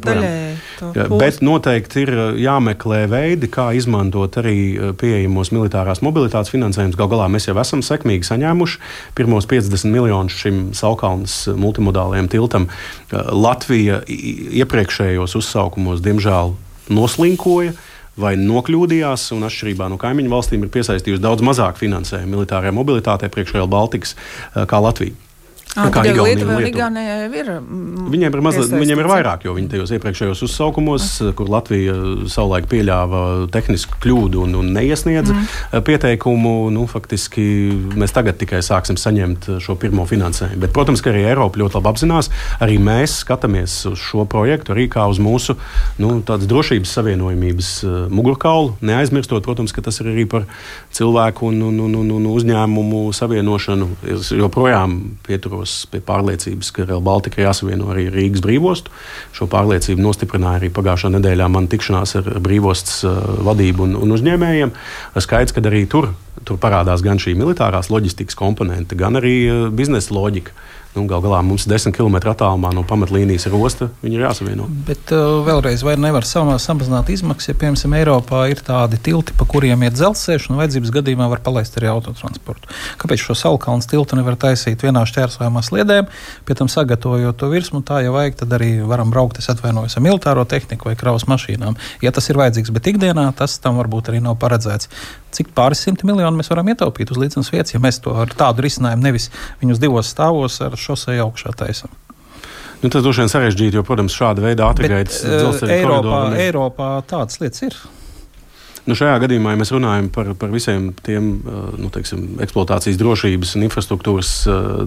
Bet noteikti ir jāmeklē veidi, kā izmantot arī pieejamos militārās mobilitātes finansējumus. Gal galā mēs jau esam sekmīgi saņēmuši pirmos 50 miljonus šim Saulkalnes multimodālajam tiltam. Latvija iepriekšējos uzsaukumos, diemžēl, noslinkoja vai nokļūdījās, un atšķirībā no kaimiņu valstīm ir piesaistījusi daudz mazāk finansējumu militārajai mobilitātei priekš Rail Balticas kā Latvija. Kā Lietuva un Igaunija ir. Viņiem ir vairāk, jo viņi tajos iepriekšējos uzsaukumos, kur Latvija savulaik pieļāva tehnisku kļūdu un neiesniedza pieteikumu, faktiski mēs tagad tikai sāksim saņemt šo pirmo finansējumu. Bet, protams, ka arī Eiropa ļoti labi apzinās, arī mēs skatāmies uz šo projektu arī kā uz mūsu tādas drošības savienojumības mugurkaulu, neaizmirstot, protams, ka tas ir arī par cilvēku un uzņēmumu savienošanu. Es joprojām pieturos pie pārliecības, ka Rail Baltica jāsavieno arī Rīgas brīvostu. Šo pārliecību nostiprināja arī pagājušā nedēļā man tikšanās ar brīvostas vadību un uzņēmējiem. Skaidrs, ka arī tur parādās gan šī militārās loģistikas komponente, gan arī biznesa loģika. Gal galā mums 10 km attālumā no pamatlīnijas ir osta, viņi ir jāsavieno. Bet vēlreiz, vai nevar samazināt izmaksas, ja, piemēram, Eiropā ir tādi tilti, pa kuriem iet dzelzceļš, un vajadzības gadījumā var palaist arī autotransportu? Kāpēc šo Saulkalnes tiltu nevar taisīt vienā šķērsojumā sliedēm, pie tam sagatavojot to virsmu, tā, ja vajag, tad arī varam braukt, es atvainojos, ar militāro tehniku vai kravas mašīnām. Ja tas ir vajadzīgs, bet ikdienā tas tam varbūt arī nav paredzēts. Cik pāris 100 miljonu mēs varam ietaupīt uz līdzenas vietas, ja mēs to ar tādu risinājumu nevis viņus divos stāvos ar šoseju augšā taisam? Tas droši vien sarežģīti, jo, protams, šāda veida ātrgaitas dzelzceļa koridori. Eiropā tādas lietas ir. Šajā gadījumā, ja mēs runājam par visiem tiem eksploatācijas drošības un infrastruktūras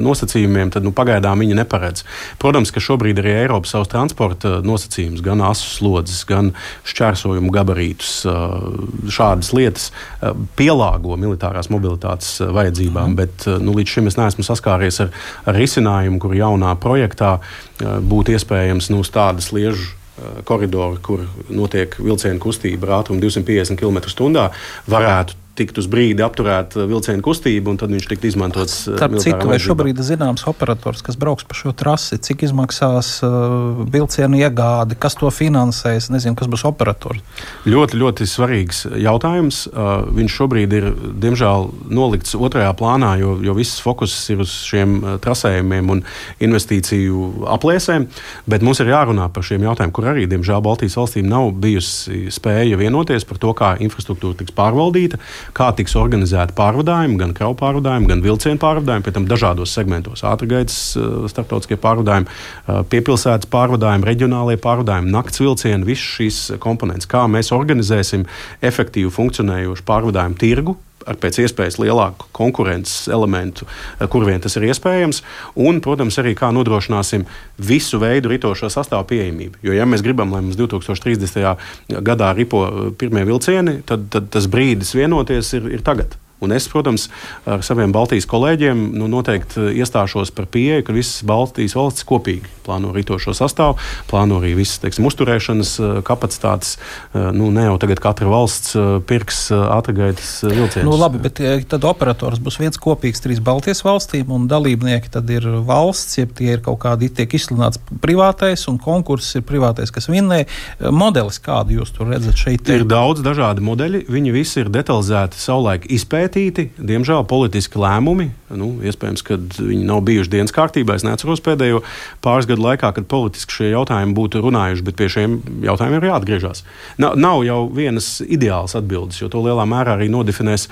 nosacījumiem, tad pagaidām viņi neparedz. Protams, ka šobrīd arī Eiropa savus transporta nosacījumus, gan asu slodzes, gan šķērsojumu gabarītus, šādas lietas pielāgo militārās mobilitātes vajadzībām, bet līdz šim es neesmu saskāries ar risinājumu, kur jaunā projektā būtu iespējams tādas sliežu koridoru, kur notiek vilcienu kustība ar ātrumu 250 km/h, varētu tikt uz brīdi apturēt vilcienu kustību, un tad viņš tikt izmantots militārā vajadzībā. Vai šobrīd ir zināms operators, kas brauks pa šo trasi, cik izmaksās vilcienu iegādi, kas to finansēs, nezinu, kas būs operators? Ļoti, ļoti svarīgs jautājums. Viņš šobrīd ir, diemžēl, nolikts otrajā plānā, jo viss fokus ir uz šiem trasējumiem un investīciju aplēsēm, bet mums ir jārunā par šiem jautājumiem, kur arī, diemžēl, Baltijas valstīm nav bijusi spēja vienoties par to, kā infrastruktūra tiks pārvaldīta, kā tiks organizēta pārvadājumi, gan kravu pārvadājumi, gan vilcienu pārvadājumi, pie tam dažādos segmentos - ātrgaitas starptautiskie pārvadājumi, piepilsētas pārvadājumi, reģionālie pārvadājumi, nakts vilcieni, visas šīs komponentes. Kā mēs organizēsim efektīvu funkcionējošu pārvadājumu tirgu ar pēc iespējas lielāku konkurences elementu, kur vien tas ir iespējams, un, protams, arī kā nodrošināsim visu veidu ritošo sastāvu pieejamību. Jo, ja mēs gribam, lai mums 2030. Gadā ripo pirmie vilcieni, tad tas brīdis vienoties ir tagad. Un es, protams, ar saviem Baltijas kolēģiem noteikti iestāšos par pieeju, ka visas Baltijas valstis kopīgi plāno ritošo sastāvu, plāno arī visas, uzturēšanas kapacitātes. Ne jau tagad katra valsts pirks ātrgaitas vilcienus. Labi, bet tad operators būs viens kopīgs 3 Baltijas valstīm, un dalībnieki tad ir valsts, ja tie ir kaut kādi, tiek izsludināts privātais, un konkurss ir privātais, kas vinnē. Modelis, kādu jūs tur redzat šeit? Ir daudz dažādi modeļi, viņi visi ir detalizēti savulaik izpētīti. Diemžēl politiski lēmumi, iespējams, ka viņi nav bijuši dienas kārtībā. Es neatceros pēdējo pāris gadu laikā, kad politiski šie jautājumi būtu runājuši, bet pie šiem jautājumiem ir jāatgriežas. Nav jau vienas ideālas atbildes, jo to lielā mērā arī nodefinēs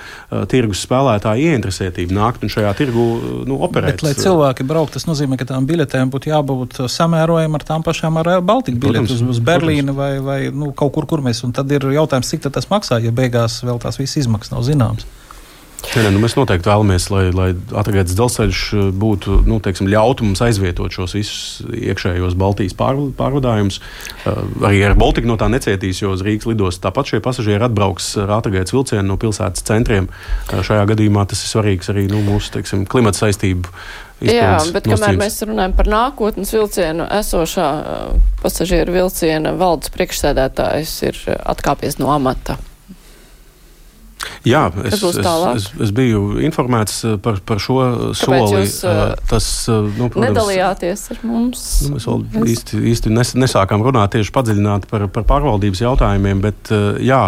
tirgus spēlētāju ieinteresētību nākt un šajā tirgu operēt. Bet, lai cilvēki braukt, tas nozīmē, ka tām biļetēm būtu jābūt samērojam ar tām pašām ar Baltiku biļetes uz Berlīni vai kaut kur mēs. Un tad ir jautājums, cik tas maksā, ja beigās vēl tās visas izmaksas nav zināmas. Mēs noteikti vēlamies, lai ātrgaitas dzelzceļš būtu, ļautu mums aizvietot šos visus iekšējos Baltijas pārvadājumus. Arī ar Baltiku no tā necietīs, jo uz Rīgas lidostu tāpat šie pasažieri atbrauks ar ātrgaitas vilcienu no pilsētas centriem. Šajā gadījumā tas ir svarīgs arī mūsu klimata saistību. Jā, bet kamēr mēs runājam par nākotnes vilcienu, esošā pasažieru vilciena valdes priekšsēdētājs ir atkāpies no amata. Jā, es biju informēts par šo soli. Kāpēc jūs nedalījāties ar mums? Mēs vēl īsti nesākām runāt tieši padziļināt par pārvaldības jautājumiem, bet jā,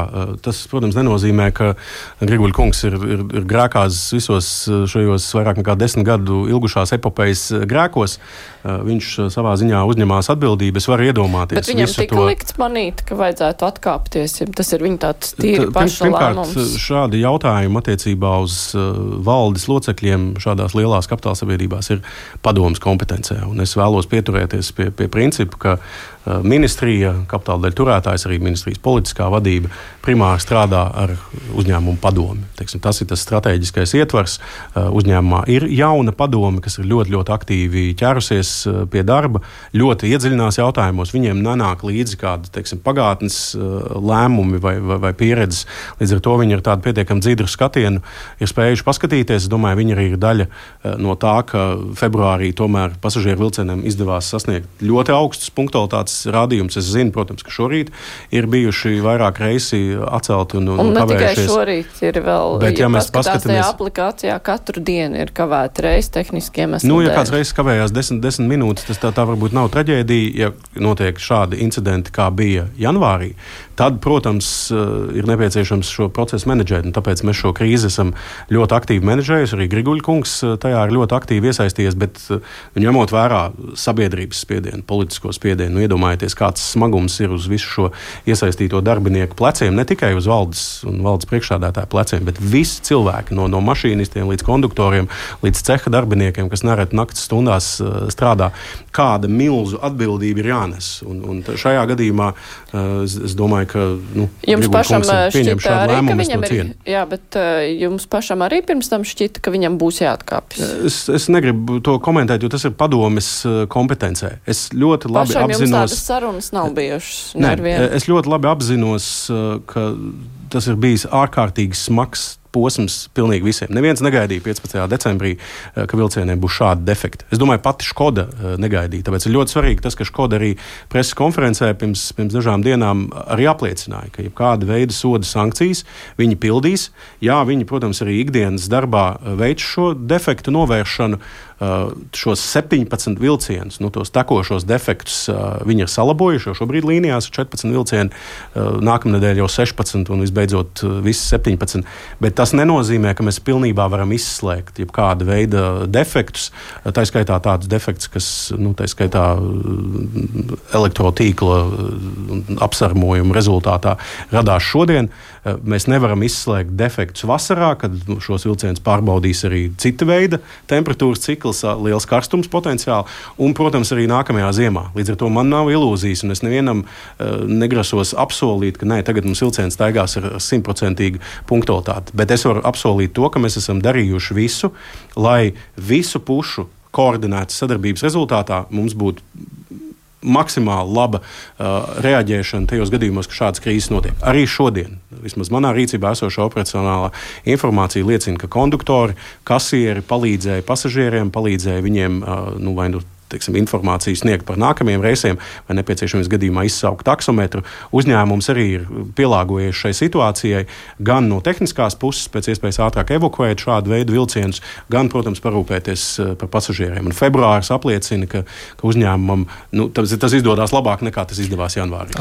tas, protams, nenozīmē, ka Griguļa kungs ir grēkās visos šajos vairāk nekā 10 gadu ilgušās epopejas grēkos. Viņš savā ziņā uzņemās atbildību. Es varu iedomāties. Bet viņam tika likts manīt, ka vajadzētu atkāpties. Tas ir viņa tāds tīri paša lēmums. šādi jautājumi attiecībā uz valdes locekļiem šādās lielās kapitāla sabiedrībās ir padomas kompetencē. Un es vēlos pieturēties pie principa, ka ministrija, kapitāla daļu turētājs, arī ministrijas politiskā vadība primāri strādā ar uzņēmumu padomi. Teiksim, tas ir tas strateģiskais ietvars. Uzņēmumā ir jauna padome, kas ir ļoti, ļoti aktīvi ķērusies pie darba, ļoti iedziļinās jautājumos. Viņiem nenāk līdzi kādi, teiksim, pagātnes lēmumi vai pieredzes. Līdz ar to viņi ar tādu pietiekami dzidru skatienu ir spējuši paskatīties. Es domāju, viņi arī ir daļa no tā, ka februārī tomēr pasažieru vilcieniem izdevās sasniegt ļoti augstus punktualitātes rādījums. Es zinu, protams, ka šorīt ir bijuši vairāk reisi atcelti un ne kavējušies. Tikai šorīt ir vēl, bet, ja mēs paskatāmies aplikācijā, katru dienu ir kavēta reisi tehniskiem iemesliem. Ja kāds reizes kavējās 10 minūtes, tas tā varbūt nav traģēdija. Ja notiek šādi incidenti, kā bija janvārī, tad, protams, ir nepieciešams šo procesu menedžēt. Tāpēc mēs šo krīzi esam ļoti aktīvi menedžējuši. Arī Griguļa kungs tajā ir ļoti aktīvi iesaistījies, bet ņemot vērā sabiedrības spiedienu, politisko spiedienu, iedomājieties, kāds smagums ir uz visu šo iesaistīto darbinieku pleciem, ne tikai uz valdes un valdes priekšsēdētāju pleciem, bet visi cilvēki no mašīnistiem līdz konduktoriem, līdz ceha darbiniekiem, kas nereti naktas stundās strādā, kāda milzu atbildība ir jānes. Un šajā gadījumā es domāju, ka jums pašam šķita arī, ka viņam ir. Jā, bet jums pašam arī pirms tam šķita, ka viņam būs jāatkāpjas. Es negribu to komentēt, jo tas ir padomes kompetencē. Es ļoti labi pašam apzinos. Jums tādas sarunas nav bijušas. Es ļoti labi apzinos, ka tas ir bijis ārkārtīgi smags posms pilnīgi visiem. Neviens negaidīja 15. decembrī, ka vilcieniem būs šādi defekti. Es domāju, pati Škoda negaidīja. Tāpēc ir ļoti svarīgi tas, ka Škoda arī preses konferencē pirms dažām dienām arī apliecināja, ka jebkāda veida soda sankcijas viņi pildīs. Jā, viņi, protams, arī ikdienas darbā veic šo defektu novēršanu. Šos 17 vilcienus, tos tekošos defektus viņi ir salabojuši, jo šobrīd līnijās ir 14 vilcieni, nākamnedēļ jau 16 un visbeidzot visi 17. Bet tas nenozīmē, ka mēs pilnībā varam izslēgt jebkāda veida defektus. Tā skaitā tādus defektus, kas, tā skaitā elektrotīkla apsarmojuma rezultātā radās šodien. Mēs nevaram izslēgt defektus vasarā, kad šos vilcienus pārbaudīs arī cita veida temperatūras cikls, liels karstums potenciāli, un, protams, arī nākamajā ziemā. Līdz ar to man nav ilūzijas, un es nevienam negrasos apsolīt, ka tagad mums vilciens staigās ar 100% punktualitāti. Bet es varu apsolīt to, ka mēs esam darījuši visu, lai visu pušu koordinētas sadarbības rezultātā mums būtu maksimāli laba reaģēšana tajos gadījumos, ka šādas krīzes notiek. Arī šodien, vismaz manā rīcībā esošā operacionālā informācija liecina, ka konduktori, kasieri palīdzēja pasažieriem, palīdzēja viņiem vai informāciju sniegt par nākamajiem reisiem, vai nepieciešams gadījumā izsaukt taksometru. Uzņēmums arī ir pielāgojies šai situācijai, gan no tehniskās puses pēc iespējas ātrāk evakuēt šādu veidu vilcienus, gan, protams, parūpēties par pasažieriem. Un februāris apliecina, ka uzņēmumam tas izdodas labāk nekā tas izdevās janvārī.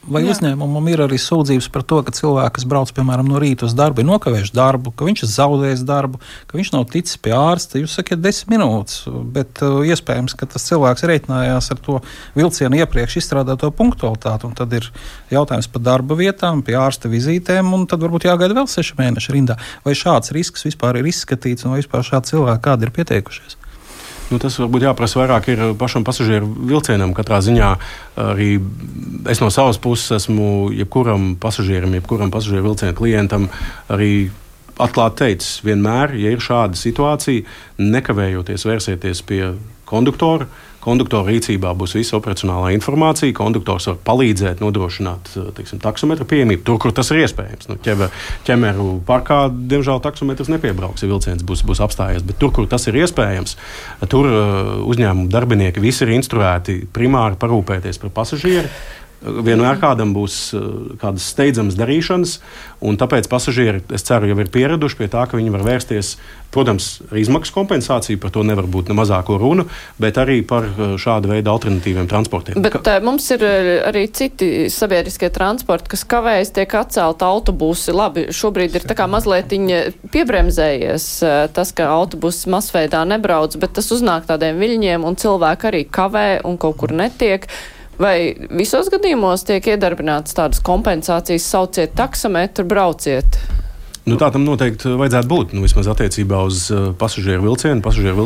Vai uzņēmumam ir arī sūdzības par to, ka cilvēki, kas brauc, piemēram, no rīta uz darbu, ir nokavējuši darbu, ka viņš ir zaudējis darbu, ka viņš nav ticis pie ārsta? Jūs sakiet 10 minūtes, bet iespējams, ka tas cilvēks reiķinājās ar to vilcienu iepriekš izstrādāto punktualitāti, un tad ir jautājums par darba vietām, pie ārsta vizītēm, un tad varbūt jāgaida vēl 6 mēneši rindā. Vai šāds risks vispār ir izskatīts, un vai vispār šādi cilvēki kādi ir pieteikušies? Tas varbūt jāprasa vairāk ir pašam pasažieru vilcienam. Katrā ziņā arī es no savas puses esmu jebkuram pasažierim, jebkuram pasažieru vilcienu klientam arī atklāti teicis, vienmēr, ja ir šāda situācija, nekavējoties vērsieties pie konduktora. Konduktora rīcībā būs visa operacionālā informācija. Konduktors var palīdzēt nodrošināt taksometru pieejamību tur, kur tas ir iespējams. Ķemeru parkā, diemžēl, taksometrs nepiebrauks, ja vilciens būs apstājies. Bet tur, kur tas ir iespējams, tur uzņēmumu darbinieki visi ir instruēti primāri parūpēties par pasažieri. Vienmēr kādam būs kādas steidzamas darīšanas, un tāpēc pasažieri, es ceru, jau ir pieraduši pie tā, ka viņi var vērsties, protams, ar izmaksu kompensāciju, par to nevar būt ne mazāko runu, bet arī par šādu veidu alternatīviem transportiem. Bet mums ir arī citi sabiedriskie transporti, kas kavējas, tiek atcelta autobusi. Labi, šobrīd ir tā kā mazliet piebremzējies tas, ka autobusi masveidā nebrauc, bet tas uznāk tādiem viļņiem, un cilvēki arī kavē un kaut kur netiek. Vai visos gadījumos tiek iedarbinātas tādas kompensācijas, sauciet taksometru, brauciet? Tā tam noteikti vajadzētu būt. Vismaz attiecībā uz pasažieru vilcienu. Pasažieru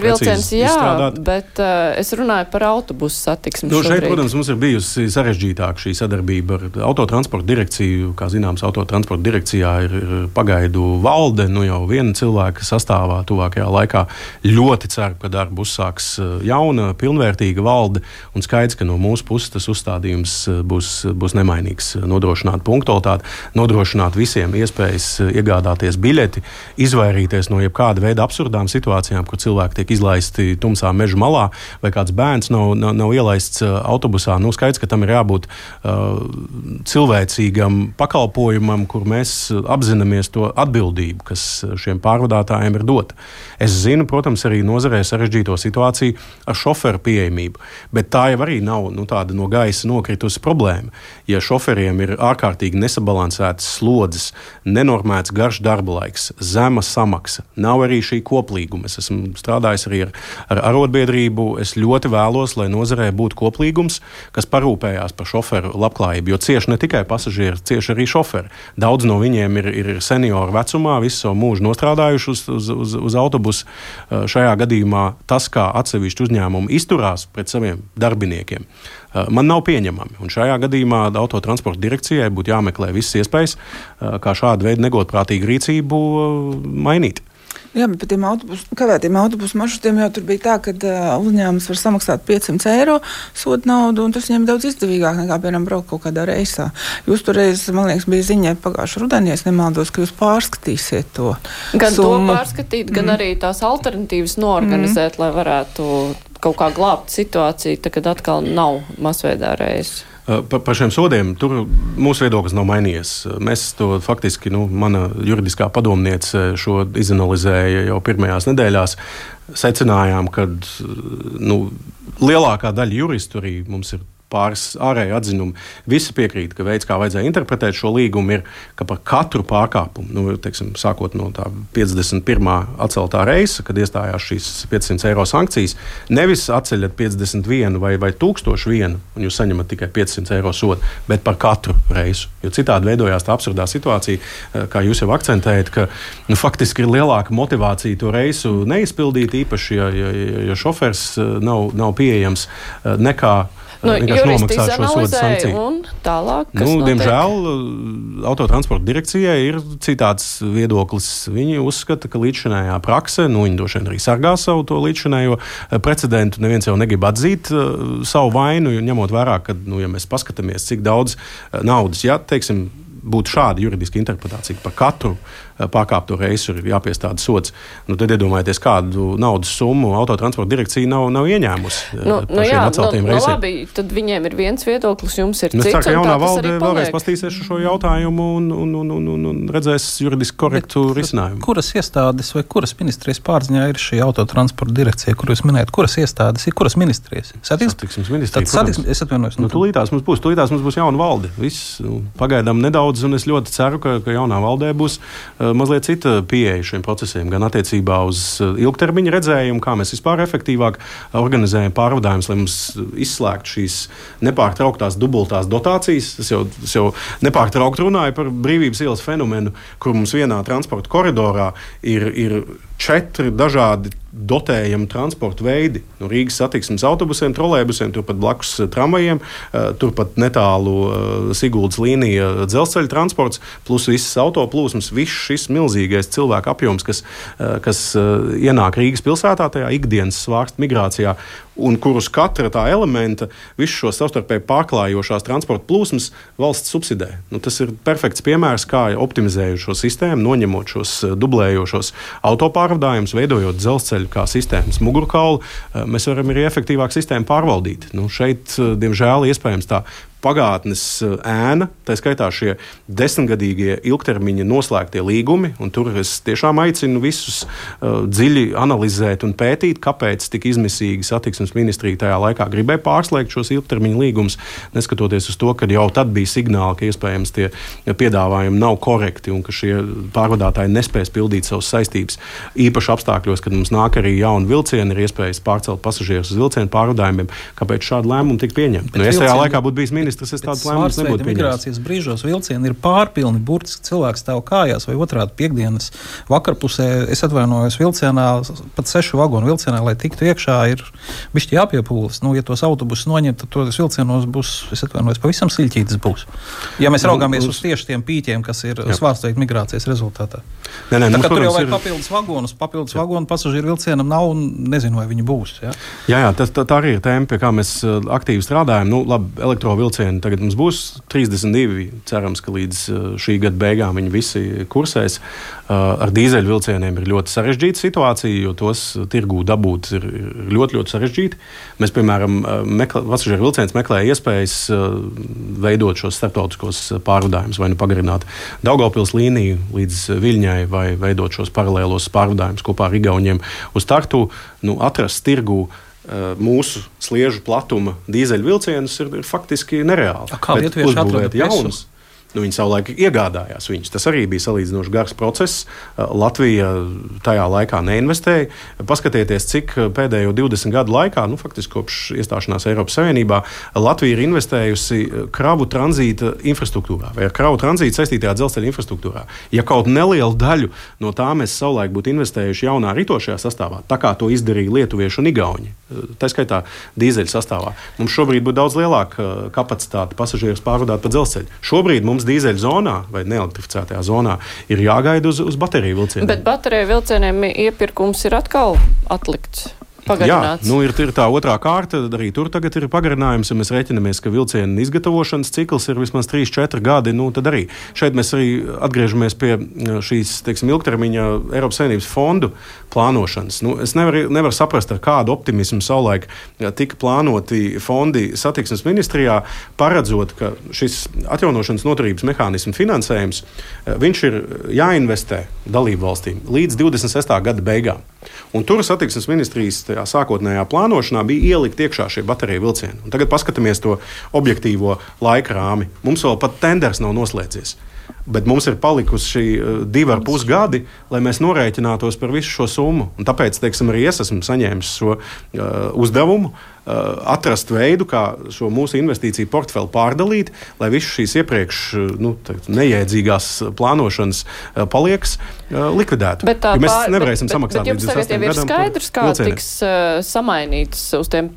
vilciens, jā, izstrādāt. Bet es runāju par autobusu satiksmi šobrīd. Šeit, protams, mums ir bijusi sarežģītāka šī sadarbība ar autotransporta direkciju. Kā zināms, autotransporta direkcijā ir pagaidu valde, jau viena cilvēka sastāvā tuvākajā laikā. Ļoti ceru, ka darbu uzsāks jauna, pilnvērtīga valde, un skaidrs, ka no mūsu puses tas uzstādījums būs nemainīgs. Nodrošināt punktualitāti, nodrošināt visiem iespējas iegādāties biļeti, izvairīties no jebkāda veida absurdām situācijām, kur cilvēki tiek izlaisti tumsā meža malā, vai kāds bērns nav ielaists autobusā. Skaidrs, ka tam ir jābūt cilvēcīgam pakalpojumam, kur mēs apzināmies to atbildību, kas šiem pārvadātājiem ir dota. Es zinu, protams, arī nozarē sarežģīto situāciju ar šoferu pieejamību, bet tā jau arī nav tāda no gaisa nokritusi problēma. Ja šoferiem ir ārkārtīgi nesabalansētas slodzes, nenormēts garš darba laiks, zema samaksa, nav arī šī koplīguma. Es esmu strādājis arī ar arotbiedrību. Es ļoti vēlos, lai nozarē būtu koplīgums, kas parūpējās par šoferu labklājību, jo cieši ne tikai pasažieri, cieši arī šoferi. Daudz no viņiem ir senioru vecumā, visu savu mūžu nostrādājuši uz autobusu. Šajā gadījumā tas, kā atsevišķi uzņēmumi izturās pret saviem darbiniekiem, man nav pieņemami. Un šajā gadījumā autotransporta direkcijai būtu jāmeklē visas iespējas, kā šādu veidu negodprātīgu rīcību mainīt. Jā, bet par kavētiem autobusu maršrutiem jau tur bija tā, ka uzņēmums var samaksāt 500 eiro soda naudu, un tas viņiem daudz izdevīgāk nekā, piemēram, braukt kaut kādā reisā. Jūs toreiz, man liekas, bija ziņā pagājušā rudenī, es nemaldos, ka jūs pārskatīsiet to gan summu. To pārskatīt, gan arī tās alternatīvas norganizēt, lai varētu kaut kā glābt situāciju, kad atkal nav masveidā reizes. Par šiem sodiem tur mūsu viedoklis nav mainījies. Mēs to faktiski, mana juridiskā padomniece šo izanalizēja jau pirmajās nedēļās. Secinājām, ka lielākā daļa juristu arī mums ir pāris ārēji atzinumi. Visi piekrīt, ka veids, kā vajadzēja interpretēt šo līgumu, ir, ka par katru pārkāpumu, sākot no tā 51. atceltā reisa, kad iestājās šīs 500 eiro sankcijas, nevis atceļat 51 vai 1001, un jūs saņemat tikai 500 eiro sodu, bet par katru reisu. Jo citādi veidojās tā absurdā situācija, kā jūs jau akcentējat, ka faktiski ir lielāka motivācija to reisu neizpildīt, īpaši, ja šofers nav pieejams, nekā juristi izanalizēja un tālāk, kas notiek? Diemžēl autotransporta direkcijai ir citāds viedoklis. Viņi uzskata, ka līdzšinējā prakse, viņi droši vien arī sargā savu to līdzšinējo precedentu. Neviens jau negrib atzīt savu vainu, ņemot vērā, ka, ja mēs paskatāmies, cik daudz naudas, būtu šāda juridiska interpretācija par katru pārkāpto reisu ir jāpiestāda sods. Tad iedomājieties, kādu naudas summu autotransporta direkcija nav ieņēmusi par šiem atceltiem reisiem. Labi, tad viņiem ir viens viedoklis, jums ir cits. Es ceru, ka jaunā valde vēlreiz pastīsies šo jautājumu un redzēs juridiski korektu risinājumu. Kuras iestādes vai kuras ministrijas pārziņā ir šī autotransporta direkcija, kur jūs minējat? Kuras iestādes ir, kuras ministrijas? Satiksmes ministrija. Es atvainojos. Tūlītās mums būs jauna valde. Viss pagaidām nedaudz, un es ļoti ceru, ka jaunā valdē būs mazliet cita pieeja šiem procesiem, gan attiecībā uz ilgtermiņa redzējumu, kā mēs vispār efektīvāk organizējam pārvadājumus, lai mums izslēgtu šīs nepārtrauktās dubultās dotācijas. Es jau nepārtraukt runāju par Brīvības ielas fenomenu, kur mums vienā transporta koridorā ir 4 dažādi dotējami transporta veidi. No Rīgas satiksmes autobusiem, trolejbusiem, turpat blakus tramvajiem, turpat netālu Siguldas līnija dzelzceļa transports, plus visas autoplūsmas, viss šis milzīgais cilvēku apjoms, kas ienāk Rīgas pilsētā, tajā ikdienas svārsta migrācijā, un kurus katra tā elementa, visu šo savstarpēji pārklājošās transporta plūsmas valsts subsidē. Tas ir perfekts piemērs, kā optimizējot šo sistēmu, noņemot šos dublējošos autopārvadājumus, veidojot dzelzceļu kā sistēmas mugurkaulu, mēs varam arī efektīvāk sistēmu pārvaldīt. Šeit, diemžēl, iespējams tā pagātnes ēna, tā skaitā šie 10-gadīgie ilgtermiņa noslēgtie līgumi, un tur es tiešām aicinu visus dziļi analizēt un pētīt, kāpēc tik izmisīgi satiksmes ministrija tajā laikā gribēja pārslēgt šos ilgtermiņa līgumus, neskatoties uz to, ka jau tad bija signāli, ka iespējams tie piedāvājumi nav korekti un ka šie pārvadātāji nespēs pildīt savas saistības. Īpaši apstākļos, kad mums nāk arī jauni vilcieni, ir iespējas pārcelt pasažierus uz vilcienu pārvadājumiem, kāpēc šādu lēmumu tika pieņemta. Es tajā laikā būtu bijis ministrs, ministrs, es tādu lēmumus nebūtu pieņēmis. Migrācijas brīžos vilcieni ir pārpilni, burtiski cilvēks stāv kājās vai otrādi piekdienas vakarpusē. Es atvainojos vilcienā, pat 6 vagonu vilcienā, lai tiktu iekšā, ir bišķi jāpiepūlas. Ja tos autobusus noņemt, tad tos vilcienos būs, es atvainojos, pavisam siļķītis būs. Ja mēs raugāmies uz tieši tiem pīķiem, kas ir svārstveikt migrācijas rezultātā. Tur jau vajag papildus vagonu pasažieru vilcienam nav un nezinu, vai viņi būs. Jā, tā arī ir tēma, pie kā mēs aktīvi strādājam. Labi, elektrovilcieni tagad mums būs 32, cerams, ka līdz šī gada beigām viņi visi kursēs. Ar dīzeļu vilcieniem ir ļoti sarežģīta situācija, jo tos tirgū dabūt ir ļoti, ļoti sarežģīti. Mēs, piemēram, pasažieru vilciens meklē iespējas veidot šos starptautiskos pārvadājumus, vai pagarināt Daugavpils līniju līdz Viļņai, vai veidot šos paralēlos pārvadājumus kopā ar Igauņiem uz Tartu. Atrast tirgū mūsu sliežu platuma dīzeļu vilcienus ir faktiski nereāli. Kā lietuvieši atrada jaunus? Viņi savulaik iegādājās viņus. Tas arī bija salīdzinoši gars process. Latvija tajā laikā neinvestēja. Paskatieties, cik pēdējo 20 gadu laikā, faktiski kopš iestāšanās Eiropas Savienībā, Latvija ir investējusi kravu tranzīta infrastruktūrā vai ar kravu tranzītu saistītajā dzelzceļa infrastruktūrā. Ja kaut nelielu daļu no tā mēs savulaik būtu investējuši jaunā ritošajā sastāvā, tā kā to izdarīja lietuvieši un igauņi, tā skaitā dīzeļu sastāvā, mums šobrīd būtu daudz lielāka kapacitāte pasažierus pārvadāt pa dzelzceļu. Šobrīd mums dīzeļu zonā vai neelektrificētajā zonā ir jāgaida uz bateriju vilcieniem. Bet bateriju vilcieniem iepirkums ir atkal atlikts. Pagarināts. Jā, ir tā otrā kārta, arī tur tagad ir pagarinājums, ja mēs rēķinamies, ka vilcienu izgatavošanas cikls ir vismaz 3-4 gadi, tad arī šeit mēs arī atgriežamies pie šīs, ilgtermiņa Eiropas Savienības fondu plānošanas. Es nevaru saprast, ar kādu optimismu savulaik tika plānoti fondi satiksmes ministrijā, paredzot, ka šis atjaunošanas noturības mehānismu finansējums, viņš ir jāinvestē dalību valstīm līdz 26. gada beigām. Un tur satiksmes ministrijas sākotnējā plānošanā bija ielikt iekšā šie bateriju vilcieni. Un tagad paskatāmies to objektīvo laika rāmi. Mums vēl pat tenders nav noslēdzies. Bet mums ir palikusi 2,5 gadi, lai mēs norēķinātos par visu šo summu. Un tāpēc, arī es esmu saņēmis šo uzdevumu atrast veidu, kā šo mūsu investīciju portfeli pārdalīt, lai visu šīs iepriekš nejēdzīgās plānošanas paliekas likvidētu. Mēs nevarēsim samaksāt līdz 28 gadam. Bet jums tagad jau ir skaidrs, kā tiks samainīts uz tiem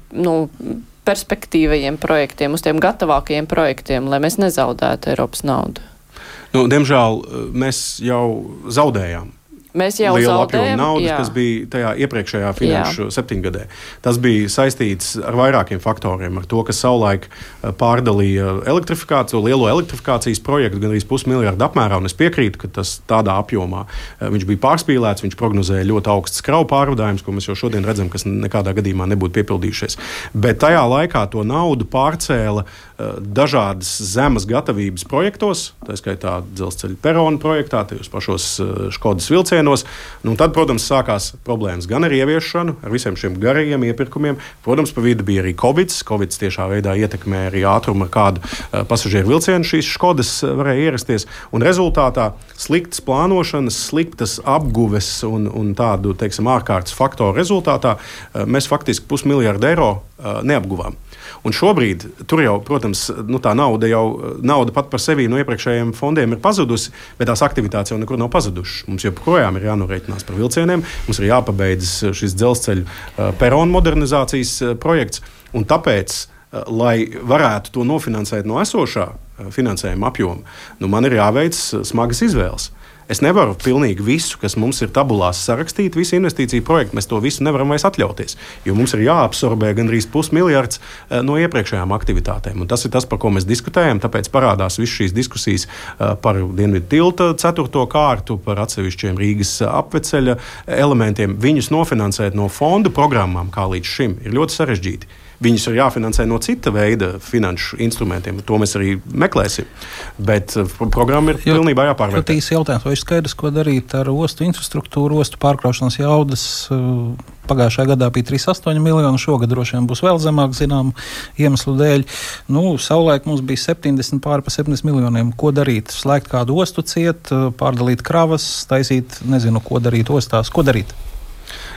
perspektīvajiem projektiem, uz tiem gatavākajiem projektiem, lai mēs nezaudētu Eiropas naudu? Diemžēl mēs jau zaudējām. Mēs jau lielu zaudējam apjomu naudas, kas bija tajā iepriekšējā finanšu septiņgadē. Tas bija saistīts ar vairākiem faktoriem, ar to, ka savulaik pārdalīja elektrifikāciju, lielo elektrifikācijas projektu gan arī 500 miljardu apmērā, un es piekrītu, ka tas tādā apjomā viņš bija pārspīlēts, viņš prognozēja ļoti augsts kravu pārvadājums, ko mēs jau šodien redzam, kas nekādā gadījumā nebūtu piepildījušies. Bet tajā laikā to naudu pārcēla dažādas zemes gatavības projektos, tā skaitā dzelzceļa perona projektā, tajos pašos Škodas vilcienos. Tad, protams, sākās problēmas gan ar ieviešanu, ar visiem šiem garajiem iepirkumiem. Protams, pa vidu bija arī Covid. Covid tiešā veidā ietekmē arī ātrumu, ar kādu pasažieru vilcienu šīs Škodas varēja ierasties. Un rezultātā sliktas plānošanas, sliktas apguves un tādu, ārkārtas faktoru rezultātā mēs faktiski 500 miljardu eiro neapguvām. Un šobrīd tur jau, protams, tā nauda pat par sevi no iepriekšējiem fondiem ir pazudusi, bet tās aktivitātes jau nekur nav pazudušas. Mums joprojām ir jānorēķinās par vilcieniem, mums ir jāpabeidz šis dzelzceļa perona modernizācijas projekts, un tāpēc, lai varētu to nofinansēt no esošā finansējuma apjoma, man ir jāveic smagas izvēles. Es nevaru pilnīgi visu, kas mums ir tabulās sarakstīt, visu investīciju projektu, mēs to visu nevaram vairs atļauties, jo mums ir jāabsorbē gandrīz 500 miljards no iepriekšējām aktivitātēm. Un tas ir tas, par ko mēs diskutējam, tāpēc parādās visas šīs diskusijas par Dienvidu tilta 4. kārtu, par atsevišķiem Rīgas apveceļa elementiem. Viņus nofinansēt no fondu programmām, kā līdz šim, ir ļoti sarežģīti. Viņus ir jāfinansē no cita veida finanšu instrumentiem. To mēs arī meklēsim. Bet programma ir pilnībā jāpārvērtē. Ļoti īsi jautājums, vai ir skaidrs, ko darīt ar ostu infrastruktūru, ostu pārkraušanas jaudas? Pagājušajā gadā bija 3,8 miljoni, šogad droši vien būs vēl zemāk, zinām, iemeslu dēļ. Savulaik mums bija 70 pāri pa 70 miljoniem. Ko darīt? Slēgt kādu ostu ciet, pārdalīt kravas, taisīt, nezinu, ko darīt ostās. Ko darīt?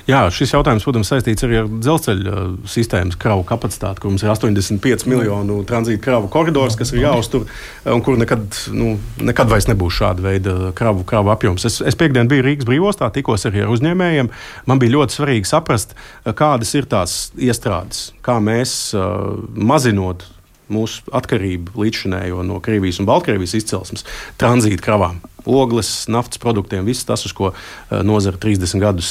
Jā, šis jautājums, protams, saistīts arī ar dzelzceļa sistēmas kravu kapacitāti, kur mums ir 85 miljonu tranzīta kravu koridors, kas ir jāuztur, un kur nekad vairs nebūs šāda veida kravu apjoms. Es piekdien biju Rīgas brīvostā, tikos arī ar uzņēmējiem. Man bija ļoti svarīgi saprast, kādas ir tās iestrādes, kā mēs mazinot mūsu atkarību līdzšinējo no Krievijas un Baltkrievijas izcelsmes tranzīta kravām. Ogles, naftas produktiem, viss tas, uz ko nozara 30 gadus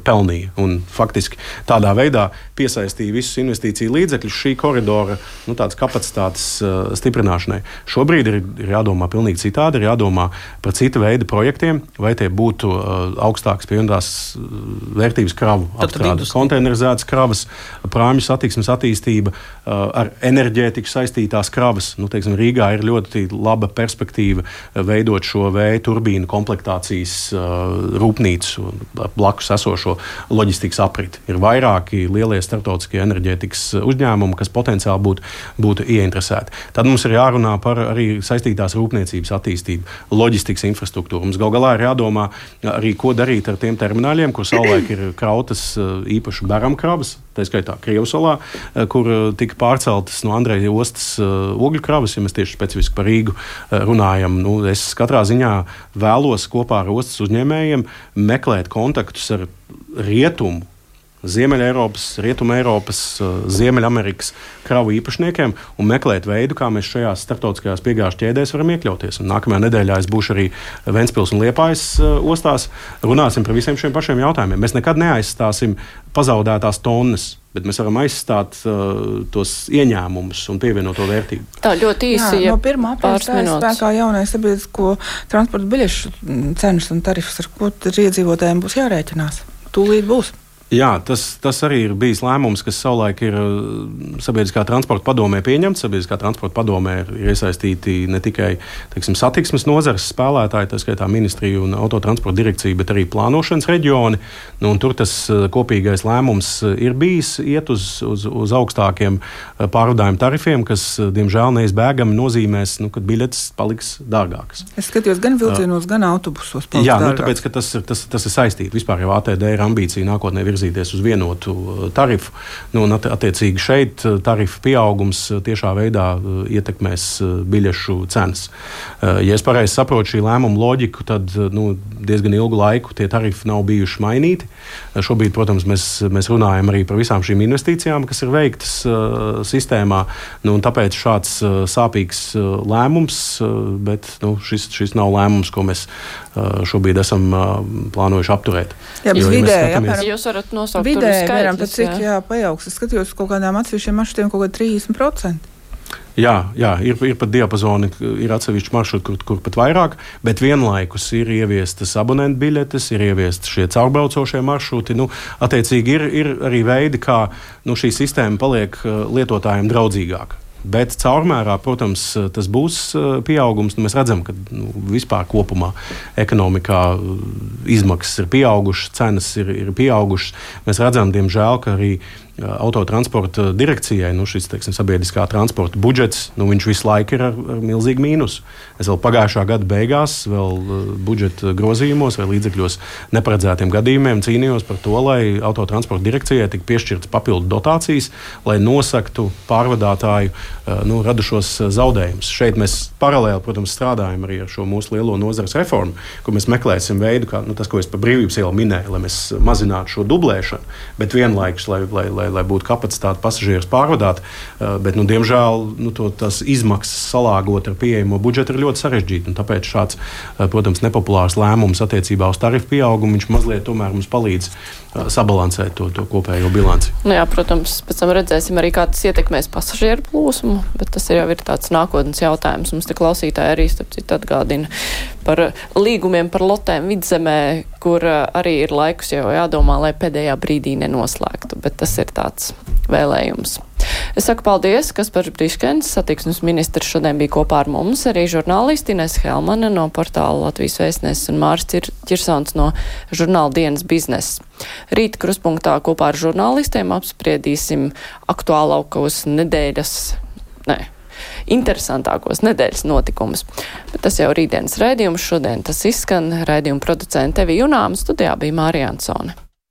pelnīja. Un faktiski tādā veidā piesaistīja visus investīciju līdzekļus šī koridora tādas kapacitātes stiprināšanai. Šobrīd ir jādomā pilnīgi citādi, ir jādomā par cita veida projektiem, vai tie būtu augstākas pievienotās vērtības kravu apstrāde, konteinerizētas kravas, prāmju satiksmes attīstība, ar enerģētiku saistītās kravas. Teiksim, Rīgā ir ļoti laba perspektīva veidot šo vēja turbīnu komplektācijas rūpnīcu blakus esošo loģistikas apriti. Ir vairāki lielie starptautiskie enerģētikas uzņēmumi, kas potenciāli būtu ieinteresēti. Tad mums ir jārunā par arī saistītās rūpniecības attīstību, loģistikas infrastruktūru. Mums gal galā ir jādomā arī, ko darīt ar tiem termināļiem, kur savulaik ir krautas īpaši beramkravas, tā skaitā Krievsolā, kur tika pārceltas no Andreja ostas ogļu kravas, ja mēs tieši specifiski par Rīgu runājam. Es katrā ziņā vēlos kopā ar ostas uzņēmējiem meklēt kontaktus ar rietumu, Ziemeļeiropas, Rietumeiropas, Ziemeļamerikas kravu īpašniekiem un meklēt veidu, kā mēs šajās starptautiskajās piegāžu ķēdēs varam iekļauties. Un nākamajā nedēļā es būšu arī Ventspils un Liepājas ostās. Runāsim par visiem šiem pašiem jautājumiem. Mēs nekad neaizstāsim pazaudētās tonnas, bet mēs varam aizstāt tos ieņēmumus un pievienoto vērtību. Tā ļoti īsi. No 1. aprīļa stājas spēkā jaunais sabiedrisko transporta biļešu cenas un tarifs, ar ko iedzīvotājiem būs jārēķinās. Tūlīt būs. Jā, tas arī ir bijis lēmums, kas savulaik ir sabiedriskā transporta padomē pieņemts. Sabiedriskā transporta padomē ir iesaistīti ne tikai satiksmes nozares spēlētāji, tā skaitā ministrija un autotransporta direkcija, bet arī plānošanas reģioni. Un tur tas kopīgais lēmums ir bijis iet uz augstākiem pārvadājumu tarifiem, kas, diemžēl, neizbēgami nozīmēs, ka biļetes paliks dārgākas. Es skatījos gan vilcienos, gan autobusos. Jā, tāpēc, ka tas ir saistīti. Vispār jau ATD ir ambīcija nākotnē virzīties uz vienotu tarifu. Un attiecīgi šeit tarifu pieaugums tiešā veidā ietekmēs biļešu cenas. Ja es pareizi saprotu šī lēmuma loģiku, tad diezgan ilgu laiku tie tarifi nav bijuši mainīti. Šobrīd, protams, mēs runājam arī par visām šīm investīcijām, kas ir veiktas sistēmā. Tāpēc šāds sāpīgs lēmums, bet šis nav lēmums, ko mēs šobrīd esam plānojuši apturēt. Jā, bet vidēji, jūs varat nosaukt vidēji, skaitļus, cik pieaugs. Es skatījos kaut kādām atsevišķiem maršrutiem kaut kādā 30%. Jā, ir pat diapazoni, ir atsevišķi maršruti, kur pat vairāk, bet vienlaikus ir ieviestas abonentu biļetes, ir ieviestas šie caurbraucošie maršruti. Attiecīgi ir arī veidi, kā šī sistēma paliek lietotājiem draudzīgāka. Bet caurmērā, protams, tas būs pieaugums. Mēs redzam, ka vispār kopumā ekonomikā izmaksas ir pieaugušas, cenas ir pieaugušas. Mēs redzam, diemžēl, ka arī autotransporta direkcijai šis sabiedriskā transporta budžets, viņš visu laiku ir ar milzīgu mīnusu. Es vēl pagājušā gada beigās, vēl budžeta grozījumos vai līdzekļos neparedzētiem gadījumiem cīnījos par to, lai autotransporta direkcijai tik piešķirtas papildu dotācijas, lai nosaktu pārvadātāju radušos zaudējumus. Šeit mēs paralēli, protams, strādājam arī ar šo mūsu lielo nozares reformu, kur mēs meklēsim veidu, kā tas, ko es par brīvības ielu minēju, lai mēs mazinātu šo dublēšanu, bet vienlaikus, lai būtu kapacitāte pasažierus pārvadāt, bet, diemžēl, tās izmaksas salāgot ar pieejamo budžetu ir ļoti sarežģīti. Tāpēc šāds, protams, nepopulārs lēmums attiecībā uz tarifu pieaugumu, viņš mazliet tomēr mums palīdz sabalansēt to kopējo bilanci. Jā, protams, pēc tam redzēsim arī, kā tas ietekmēs pasažieru plūsmu, bet tas jau ir tāds nākotnes jautājums. Mums te klausītāji arī, starp citu, atgādina par līgumiem par lotēm Vidzemē, kur arī ir laikus jau jādomā, lai pēdējā brīdī nenoslēgtu, bet tas ir tāds vēlējums. Es saku paldies, Kaspars Briškens, satiksmes ministrs, šodien bija kopā ar mums, arī žurnālisti Ines Helmane no portāla Latvijas Vēstnesis un Māris Čirsons no žurnāla Dienas biznesa. Rīt kruspunktā kopā ar žurnālistiem apspriedīsim aktuālākos interesantākos nedēļas notikumus. Bet tas jau rītdienas raidījums, šodien tas izskan. Raidījuma producente Tevi Junām, studijā bija Mārija Ansone.